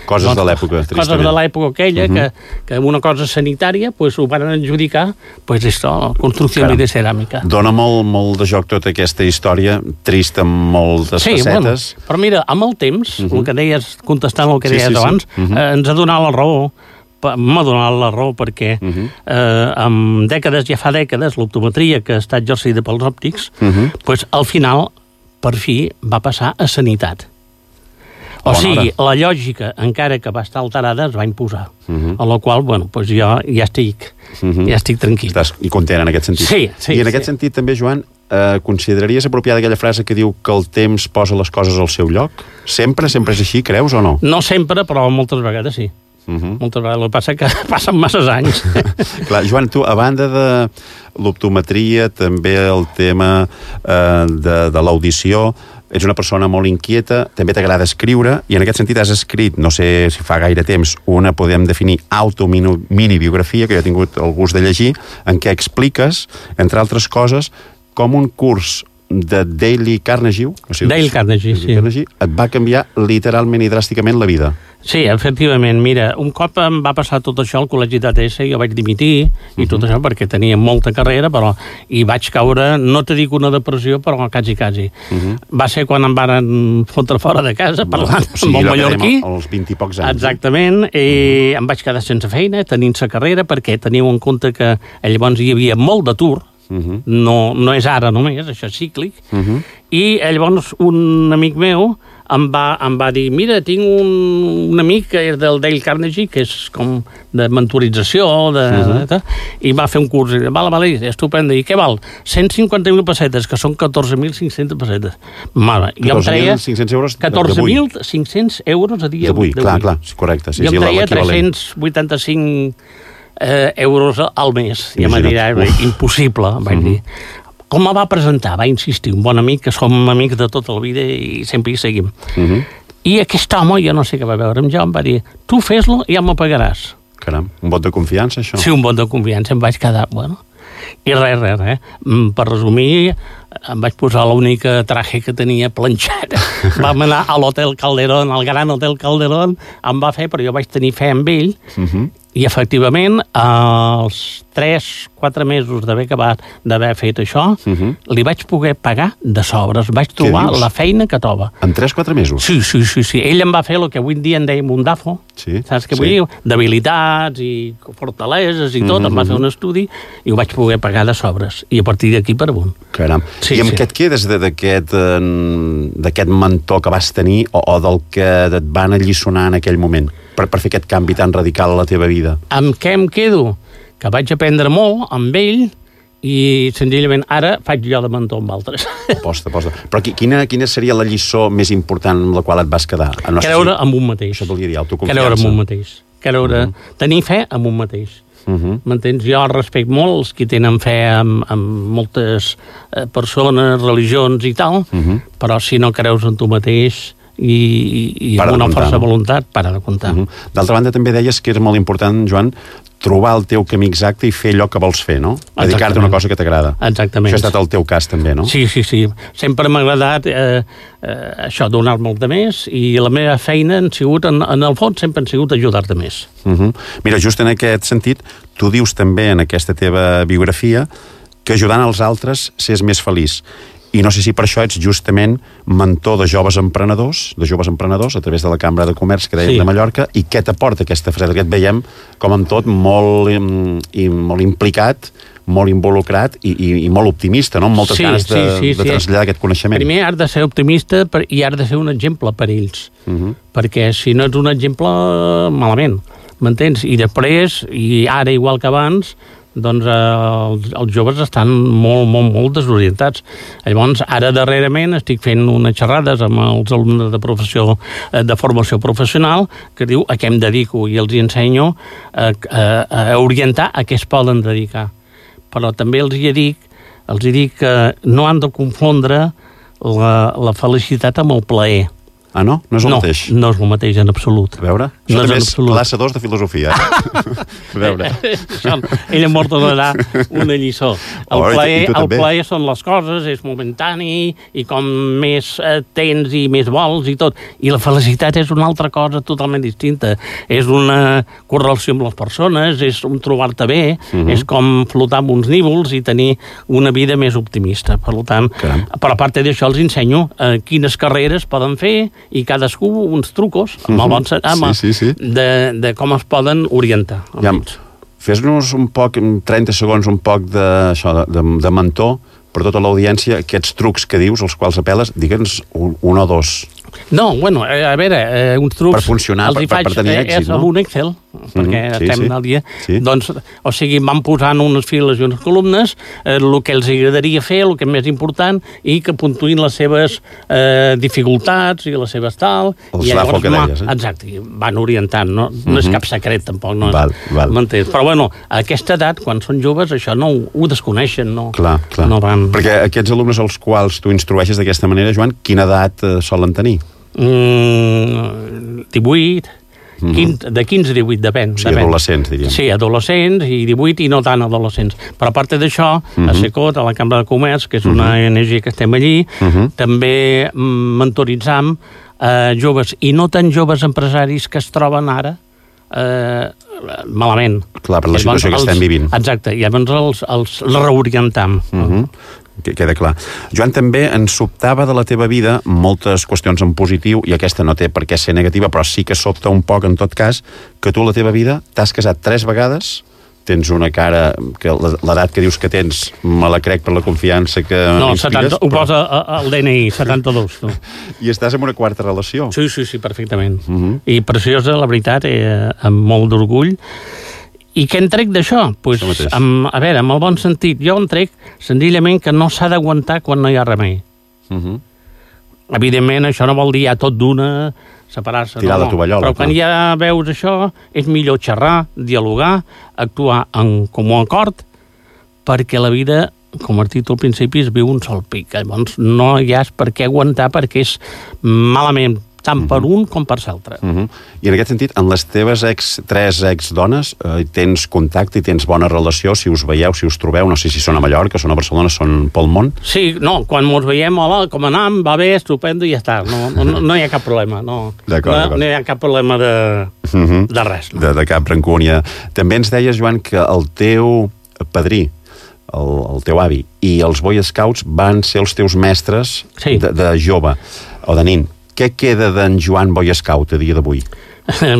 Coses de l'època, tristament. Coses de l'època aquella, que una cosa sanitària ho van adjudicar, això, construcció de ceràmica. Dóna molt de joc tota aquesta història, trista amb moltes facetes. Però mira, amb el temps, el que deies, contestant el que deies abans, ens ha donat la raó, m'ha donat la raó perquè amb ja fa dècades, l'optometria que està exercida pels òptics, al final, per fi, va passar a sanitat. O sigui, la lògica, encara que va estar alterada, es va imposar. A la qual, bueno, doncs jo ja estic tranquil. Estàs content en aquest sentit. Sí. I en aquest sentit també, Joan, consideraries apropiada aquella frase que diu que el temps posa les coses al seu lloc? Sempre és així, creus o no? No sempre, però moltes vegades sí. Moltes vegades. El que passa que passen masses anys. Clar, Joan, tu, a banda de l'optometria, també el tema de l'audició, ets una persona molt inquieta, també t'agrada escriure, i en aquest sentit has escrit, no sé si fa gaire temps, una podem definir auto-mini-biografia, que jo he tingut el gust de llegir, en què expliques, entre altres coses, com un curs de Dale Carnegie, Dale Carnegie, sí. Et va canviar literalment i dràsticament la vida. Sí, efectivament. Mira, un cop em va passar tot això al col·legi d'ATS, jo vaig dimitir i tot això perquè tenia molta carrera, però hi vaig caure, no te dic una depressió, però quasi. Va ser quan em van fotre fora de casa, parlant amb el mallorquí. Als 20 i pocs anys. Exactament, i em vaig quedar sense feina, tenint-se carrera, perquè teniu en compte que llavors hi havia molt d'atur, no és ara només, això és cíclic, i llavors un amic meu em va dir, mira, tinc un amic que és del Dale Carnegie, que és com de mentorització, i va fer un curs, i vale, estupendo, i què val? 150.000 pessetes, que són 14.500 pessetes. Mare, jo em treia 14.500 euros a dia d'avui. Clar, correcte. Jo em treia 385 euros al mes. I em va dir, impossible, vaig dir. Com me va presentar? Va insistir, un bon amic, que som amics de tota la vida i sempre hi seguim. I aquest home, jo no sé què va veure amb jo, em va dir, tu fes-lo i ja m'ho pagaràs. Caram, un vot de confiança, això? Sí, un vot de confiança, em vaig quedar, bueno... I res. Per resumir, em vaig posar l'única traje que tenia planxat. Vam anar a l'Hotel Calderón, al Gran Hotel Calderón, em va fer, però jo vaig tenir fe amb ell, i efectivament, als 3-4 mesos d'haver fet això, li vaig poder pagar de sobres. Vaig trobar la feina que troba. En 3-4 mesos? Sí. Ell em va fer el que avui en dia en dèiem un DAFO, saps què vull dir? D'habilitats i fortaleses i tot, em va fer un estudi i ho vaig poder pagar de sobres. I a partir d'aquí per amunt. Caram. I amb què et quedes d'aquest mentor que vas tenir o del que et van alliçonar en aquell moment per fer aquest canvi tan radical a la teva vida? Amb què em quedo? Que vaig aprendre molt amb ell i senzillament ara faig jo de mentor amb altres. Posta. Però quina seria la lliçó més important amb la qual et vas quedar? Creure en un mateix. Això volia dir, autoconfiança. Creure en un mateix. Tenir fe en un mateix. M'entens? Jo respecto molt els que tenen fe en moltes persones, religions i tal, però si no creus en tu mateix i amb una força de voluntat, para de comptar. D'altra banda, també deies que és molt important, Joan, trobar el teu camí exacte i fer allò que vols fer, no? Dedicar-te a una cosa que t'agrada. Exactament. Això ha estat el teu cas, també, no? Sí. Sempre m'ha agradat això, donar-me el de més, i la meva feina han sigut, en el fons, sempre han sigut ajudar-te més. Mira, just en aquest sentit, tu dius també en aquesta teva biografia que ajudant els altres s'és més feliç. I no sé si per això ets justament mentor de joves emprenedors a través de la Cambra de Comerç que dèiem de Mallorca, i què t'aporta aquesta frase? Que et veiem com amb tot molt implicat, molt involucrat i molt optimista, no? Amb moltes ganes de traslladar aquest coneixement. Primer has de ser optimista i has de ser un exemple per ells, perquè si no ets un exemple, malament, m'entens? I després, i ara igual que abans, doncs els joves estan molt desorientats. Llavors, ara darrerament estic fent unes xerrades amb els alumnes de formació professional que diu a què em dedico, i els ensenyo a orientar a què es poden dedicar. Però també els dic que no han de confondre la felicitat amb el plaer. Ah, no? No és el mateix? No és el mateix en absolut. A veure, això també és classe 2 de filosofia. A veure. Ella m'ha donarà una lliçó. El plaer són les coses, és momentani, i com més tens i més vols i tot. I la felicitat és una altra cosa totalment distinta. És una correlació amb les persones, és un trobar-te bé, és com flotar amb uns nívols i tenir una vida més optimista. Per tant, però a part d'això els ensenyo quines carreres poden fer i cadascú uns trucos amb el bon de com es poden orientar. Fes-nos un poc, en 30 segons, un poc de mentor per tota l'audiència, aquests trucs que dius, els quals apel·les, digue'ns un o dos. No, bueno, a veure, uns trucs... Per funcionar, per tenir èxit, no? És amb un Excel, perquè estem al dia. Sí. Doncs, o sigui, van posant unes files i unes columnes, el que els agradaria fer, el que és més important, i que puntuïn les seves dificultats i les seves tal... El slafo que deies, eh? Exacte, van orientant, no és cap secret, tampoc, no? Val. M'entens? Però, bueno, a aquesta edat, quan són joves, això no ho desconeixen, no? Clar. No van... Perquè aquests alumnes als quals tu instrueixes d'aquesta manera, Joan, quina edat solen tenir? 18, 15, de 15 a 18, depèn. O sigui, adolescents, diríem. Sí, adolescents i 18 i no tant adolescents. Però a part d'això, a SECOT, a la Cambra de Comerç, que és una ONG que estem allí, també mentoritzam joves i no tan joves empresaris que es troben ara malament. Clar, per la situació que estem vivint. Exacte, i llavors els reorientam. Queda clar. Joan, també ens sobtava de la teva vida moltes qüestions en positiu, i aquesta no té per què ser negativa, però sí que sobta un poc, en tot cas, que tu a la teva vida t'has casat 3 vegades, tens una cara que l'edat que dius que tens me la crec per la confiança que m'inspires. No, ho posa al DNI, 72. No. I estàs en una 4ª relació. Sí, perfectament. I preciosa, la veritat, amb molt d'orgull. I què en trec d'això? Pues, a veure, amb el bon sentit, jo en trec senzillament que no s'ha d'aguantar quan no hi ha remei. Evidentment, això no vol dir ja tot d'una, separar-se. Tirar la tovallola. Però quan ja veus això, és millor xerrar, dialogar, actuar en comú acord, perquè la vida, com has dit al principi, es viu un sol pic. Llavors no hi has per què aguantar, perquè és malament tant per un com per l'altre. I en aquest sentit, en les teves 3 exdones, tens contacte i tens bona relació, si us veieu, si us trobeu, no sé si són a Mallorca, són a Barcelona, són pel món? Sí, no, quan ens veiem, hola, com anam, va bé, estupendo i ja està. No hi ha cap problema, no. D'acord. No hi ha cap problema de res. No? De cap rancúnia. També ens deies, Joan, que el teu padrí, el teu avi, i els Boy Scouts van ser els teus mestres de jove, o de nin. Què queda d'en Joan Boy Scout a dia d'avui?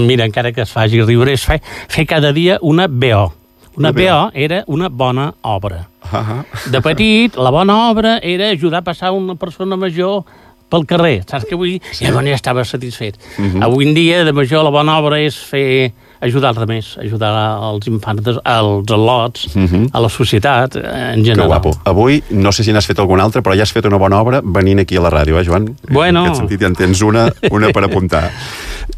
Mira, encara que es faci riure, és fer cada dia una BO. Una BO era una bona obra. De petit, la bona obra era ajudar a passar una persona major pel carrer, saps què vull dir? I llavors ja estava satisfet. Avui en dia, de major, la bona obra és ajudar els altres, ajudar els infants, als al·lots, a la societat, en general. Que guapo. Avui, no sé si n'has fet alguna altra, però ja has fet una bona obra venint aquí a la ràdio, Joan? Bueno. En aquest sentit ja en tens una per apuntar.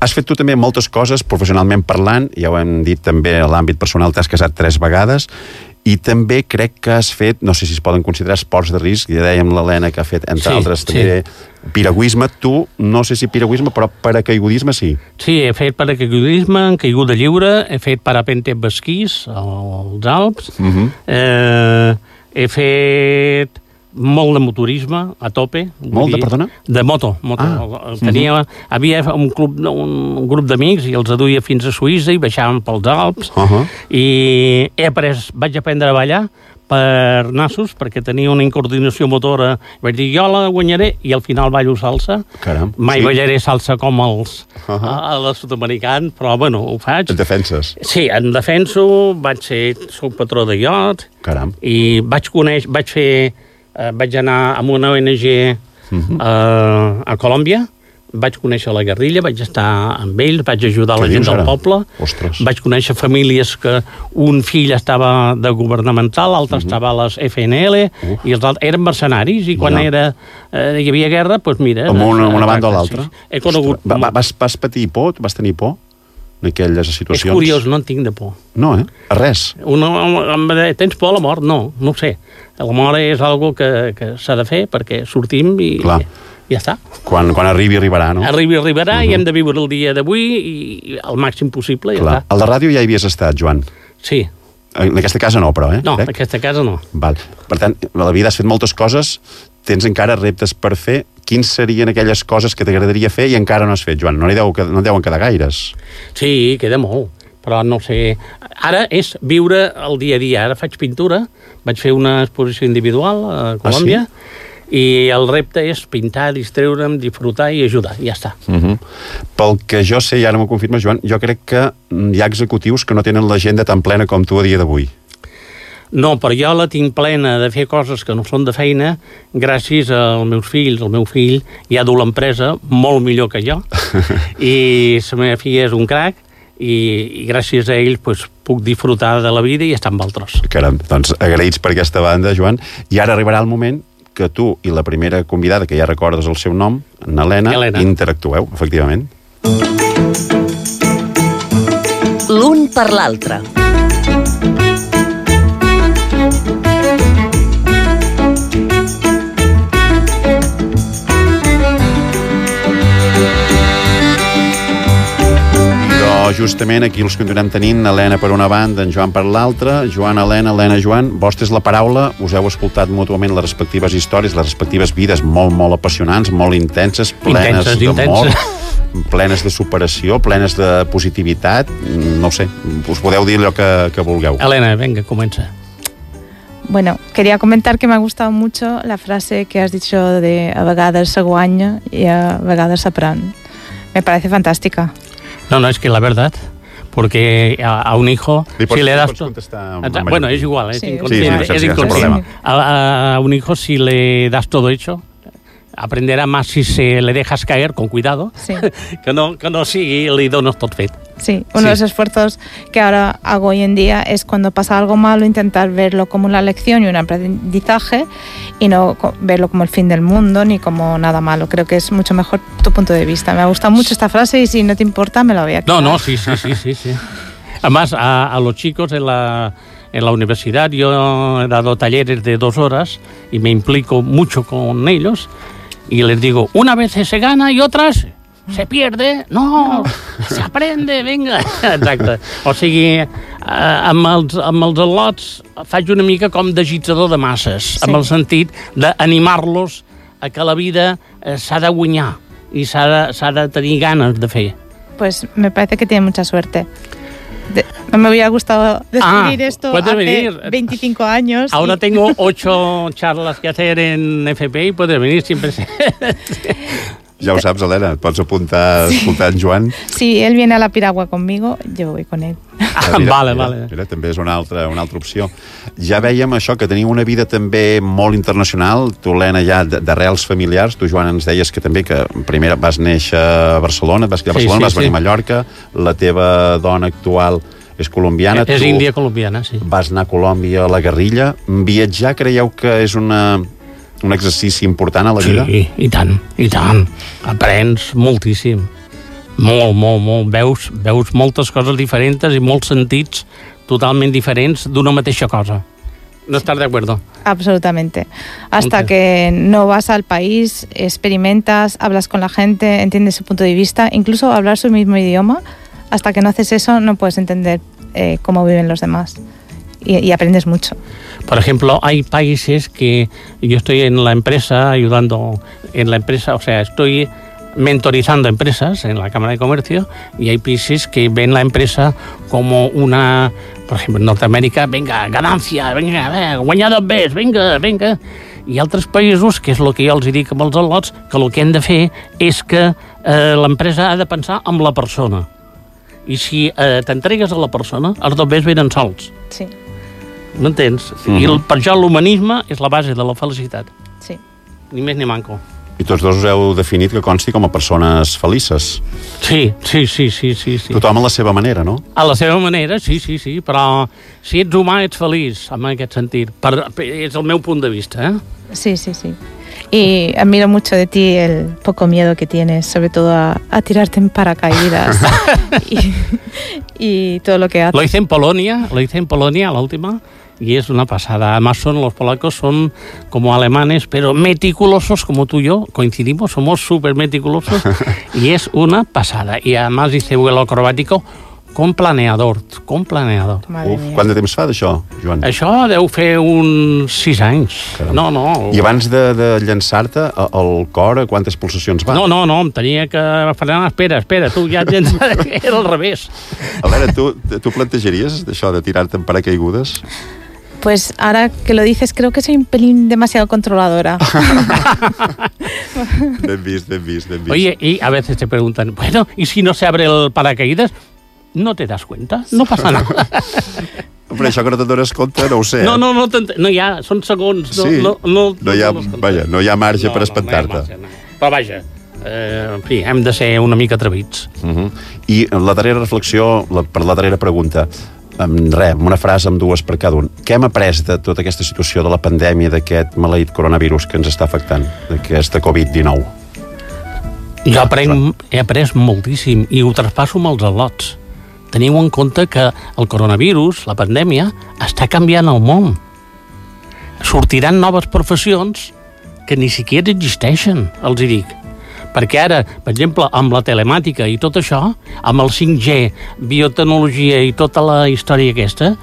Has fet tu també moltes coses, professionalment parlant, ja ho hem dit també a l'àmbit personal, t'has casat 3 vegades, i també crec que has fet, no sé si es poden considerar esports de risc, ja dèiem l'Helena que ha fet, entre altres, també piragüisme. Tu, no sé si piragüisme, però paracaigudisme sí. Sí, he fet paracaigudisme, caiguda lliure, he fet parapente amb esquís als Alps, he fet molt de motorisme, a tope. Molt de, perdona? De moto. Havia un grup d'amics i els aduia fins a Suïssa i baixàvem pels Alps i vaig aprendre a ballar per nassos, perquè tenia una incoordinació motora. Vaig dir, jo la guanyaré, i al final ballo salsa. Caram. Mai ballaré salsa com els sud-americans, però, bueno, ho faig. Et defenses? Sí, em defenso, soc patró de iot. Caram. I vaig anar amb una ONG a Colòmbia, vaig conèixer la guerrilla, vaig estar amb ells, vaig ajudar la gent del poble. Ostres. Vaig conèixer famílies que un fill estava de governamental, l'altre estava a les FNL, i els altres eren mercenaris, i quan hi havia guerra, doncs mira... Amb una banda o l'altra? He conegut... Vas patir por? Vas tenir por en aquelles situacions? És curiós, no en tinc de por. No, A res? Tens por a la mort? No ho sé. La mort és algo que s'ha de fer perquè sortim i... Clar. Ja està. Quan arribarà, no? Arribarà i hem de viure el dia d'avui i el màxim possible, ja està. A la ràdio ja hi havies estat, Joan? Sí. En aquesta casa no, però, No, en aquesta casa no. Val. Per tant, a la vida has fet moltes coses, tens encara reptes per fer. Quins serien aquelles coses que t'agradaria fer i encara no has fet, Joan? No deuen quedar gaires. Sí, queda molt, però no sé... Ara és viure el dia a dia. Ara faig pintura, vaig fer una exposició individual a Colòmbia, i el repte és pintar, distreure'm, disfrutar i ajudar, ja està. Pel que jo sé, i ara m'ho confirmes, Joan, jo crec que hi ha executius que no tenen l'agenda tan plena com tu a dia d'avui. No, però jo la tinc plena de fer coses que no són de feina gràcies als meus fills. El meu fill ja du l'empresa molt millor que jo i la meva filla és un crac i gràcies a ells pues, puc disfrutar de la vida i estar amb altres. Caram, doncs agraïts per aquesta banda, Joan. I ara arribarà el moment que tu i la primera convidada, que ja recordes el seu nom, n'Helena, interactueu, efectivament. L'un per l'altre. Justament aquí els continuem tenint, Helena per una banda, en Joan per l'altra, Joan, Helena, Helena, Joan. Vostès la paraula, us heu escoltat mútuament les respectives històries, les respectives vides molt, molt apassionants, molt intenses, plenes d'amor, plenes de superació, plenes de positivitat. No ho sé, us podeu dir allò que vulgueu. Helena, venga, comença. Bueno, quería comentar que me ha gustado mucho la frase que has dicho de a vegades se guanya y a vegades s'aprèn. Me parece fantástica. No, es que la verdad, porque a un hijo, si le das... Bueno, es igual, es inconsciente. A un hijo, si le das todo hecho, aprenderá más si se le dejas caer, con cuidado, sí. que no si le dones tot fet. Sí, uno de los esfuerzos que ahora hago hoy en día es cuando pasa algo malo intentar verlo como una lección y un aprendizaje y no verlo como el fin del mundo ni como nada malo. Creo que es mucho mejor tu punto de vista. Me ha gustado mucho esta frase y si no te importa me la voy a quedar. No, sí. Además, a los chicos en la universidad yo he dado talleres de 2 horas y me implico mucho con ellos y les digo, una vez se gana y otras... se pierde, no, s'aprende, vinga. Exacte. O sigui, amb els al·lots faig una mica com d'agitador de masses, sí. Amb el sentit d'animar-los a que la vida s'ha de guanyar i s'ha de tenir ganes de fer. Pues me parece que tiene mucha suerte. No me hubiera gustado descubrir esto hace 25 años. Ahora tengo 8 charlas que hacer en FP y puedes venir siempre. Ja ho saps, Helena, et pots apuntar a escoltar en Joan. Si él viene a la piragua conmigo, yo voy con él. Vale. Mira, també és una altra opció. Ja vèiem això, que teniu una vida també molt internacional. Tu, Helena, ja d'arrels familiars. Tu, Joan, ens deies que també que primer vas néixer a Barcelona, vas criar a Barcelona, vas venir a Mallorca. La teva dona actual és colombiana. És índia colombiana, sí. Vas anar a Colòmbia a la guerrilla. Viatjar, creieu que és un exercici important a la vida? Sí, i tant. Aprens moltíssim. Molt. Veus moltes coses diferents i molts sentits totalment diferents d'una mateixa cosa. ¿No estás de acuerdo? Absolutamente. Hasta que no vas al país, experimentas, hablas con la gente, entiendes su punto de vista, incluso hablar su mismo idioma, hasta que no haces eso no puedes entender cómo viven los demás. Y aprendes mucho. Por ejemplo, hay países que yo estoy en la empresa, ayudando en la empresa, o sea, estoy mentorizando empresas en la Cámara de Comercio y hay países que ven la empresa como una, por ejemplo, en Norteamérica, venga, ganancia, venga, guanyar més, venga. I altres països, que és el que jo els dic amb els al·lots, que el que hem de fer és que l'empresa ha de pensar en la persona. I si t'entregues a la persona, els dobbers venen sols. Sí. M'entens? I per això l'humanisme és la base de la felicitat. Sí. Ni més ni manco. I tots dos us heu definit que consti com a persones felices. Sí. Tothom a la seva manera, no? A la seva manera, sí, però si ets humà ets feliç, en aquest sentit. És el meu punt de vista, Sí. Y admiro mucho de ti el poco miedo que tienes, sobre todo a tirarte en paracaídas y todo lo que haces. Lo hice en Polonia, la última, y es una pasada. Además los polacos son como alemanes, pero meticulosos, como tú y yo, coincidimos, somos súper meticulosos, y es una pasada. Y además hice vuelo acrobático con planeador. Quant de temps fa d'això, Joan? Això deu fer uns 6 anys. No. I abans de llançar-te al cor, quantes pulsacions va? No, em tenia que frenar. Espera, tu ja tens... Era al revés. Alera, tu plantejaries això de tirar-te en paracaigudes? Pues ahora que lo dices, creo que soy un pelín demasiado controladora. Ben vist. Oye, y a veces te preguntan, bueno, ¿y si no se abre el paracaídas? no te das cuenta, no passa nada. Però això que no te'n dones compte, no ho sé. No hi ha, són segons. No hi ha marge per espantar-te. Però vaja, en fi, hem de ser una mica atrevits. I la darrera reflexió, per la darrera pregunta, amb una frase amb dues per cada un. Què hem après de tota aquesta situació de la pandèmia, d'aquest maleït coronavirus que ens està afectant, d'aquesta Covid-19? Jo he après moltíssim i ho traspasso amb els al·lots. Teniu en compte que el coronavirus, la pandèmia, està canviant el món. Sortiran noves professions que ni siquiera existeixen, els hi dic. Perquè ara, per exemple, amb la telemàtica i tot això, amb el 5G, biotecnologia i tota la història aquesta,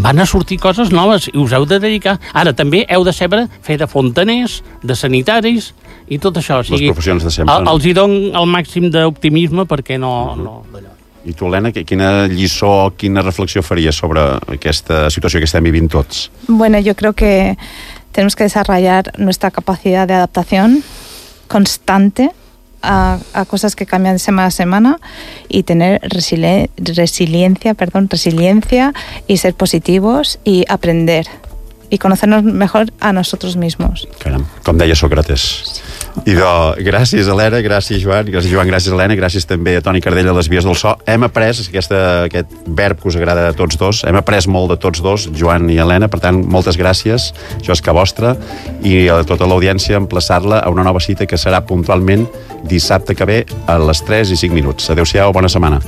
van a sortir coses noves i us heu de dedicar. Ara, també heu de saber fer de fontaners, de sanitaris i tot això. O sigui, les professions de sempre. Els hi dono el màxim d'optimisme perquè no d'allò. I tu, Helena, quina lliçó, quina reflexió faries sobre aquesta situació que estem vivint tots? Bueno, yo creo que tenemos que desarrollar nuestra capacidad de adaptación constante a cosas que cambian de semana a semana y tener resiliencia y ser positivos y aprender y conocernos mejor a nosotros mismos. Caram, com deia Sòcrates. Idò, gràcies, Helena, gràcies, Joan, gràcies, Helena, gràcies també a Toni Cardell a les vies del so. Hem après aquest verb que us agrada a tots dos, hem après molt de tots dos, Joan i Helena, per tant, moltes gràcies, això és que vostra, i a tota l'audiència emplaçar-la a una nova cita que serà puntualment dissabte que ve a les 3:05. Adéu-siau, bona setmana.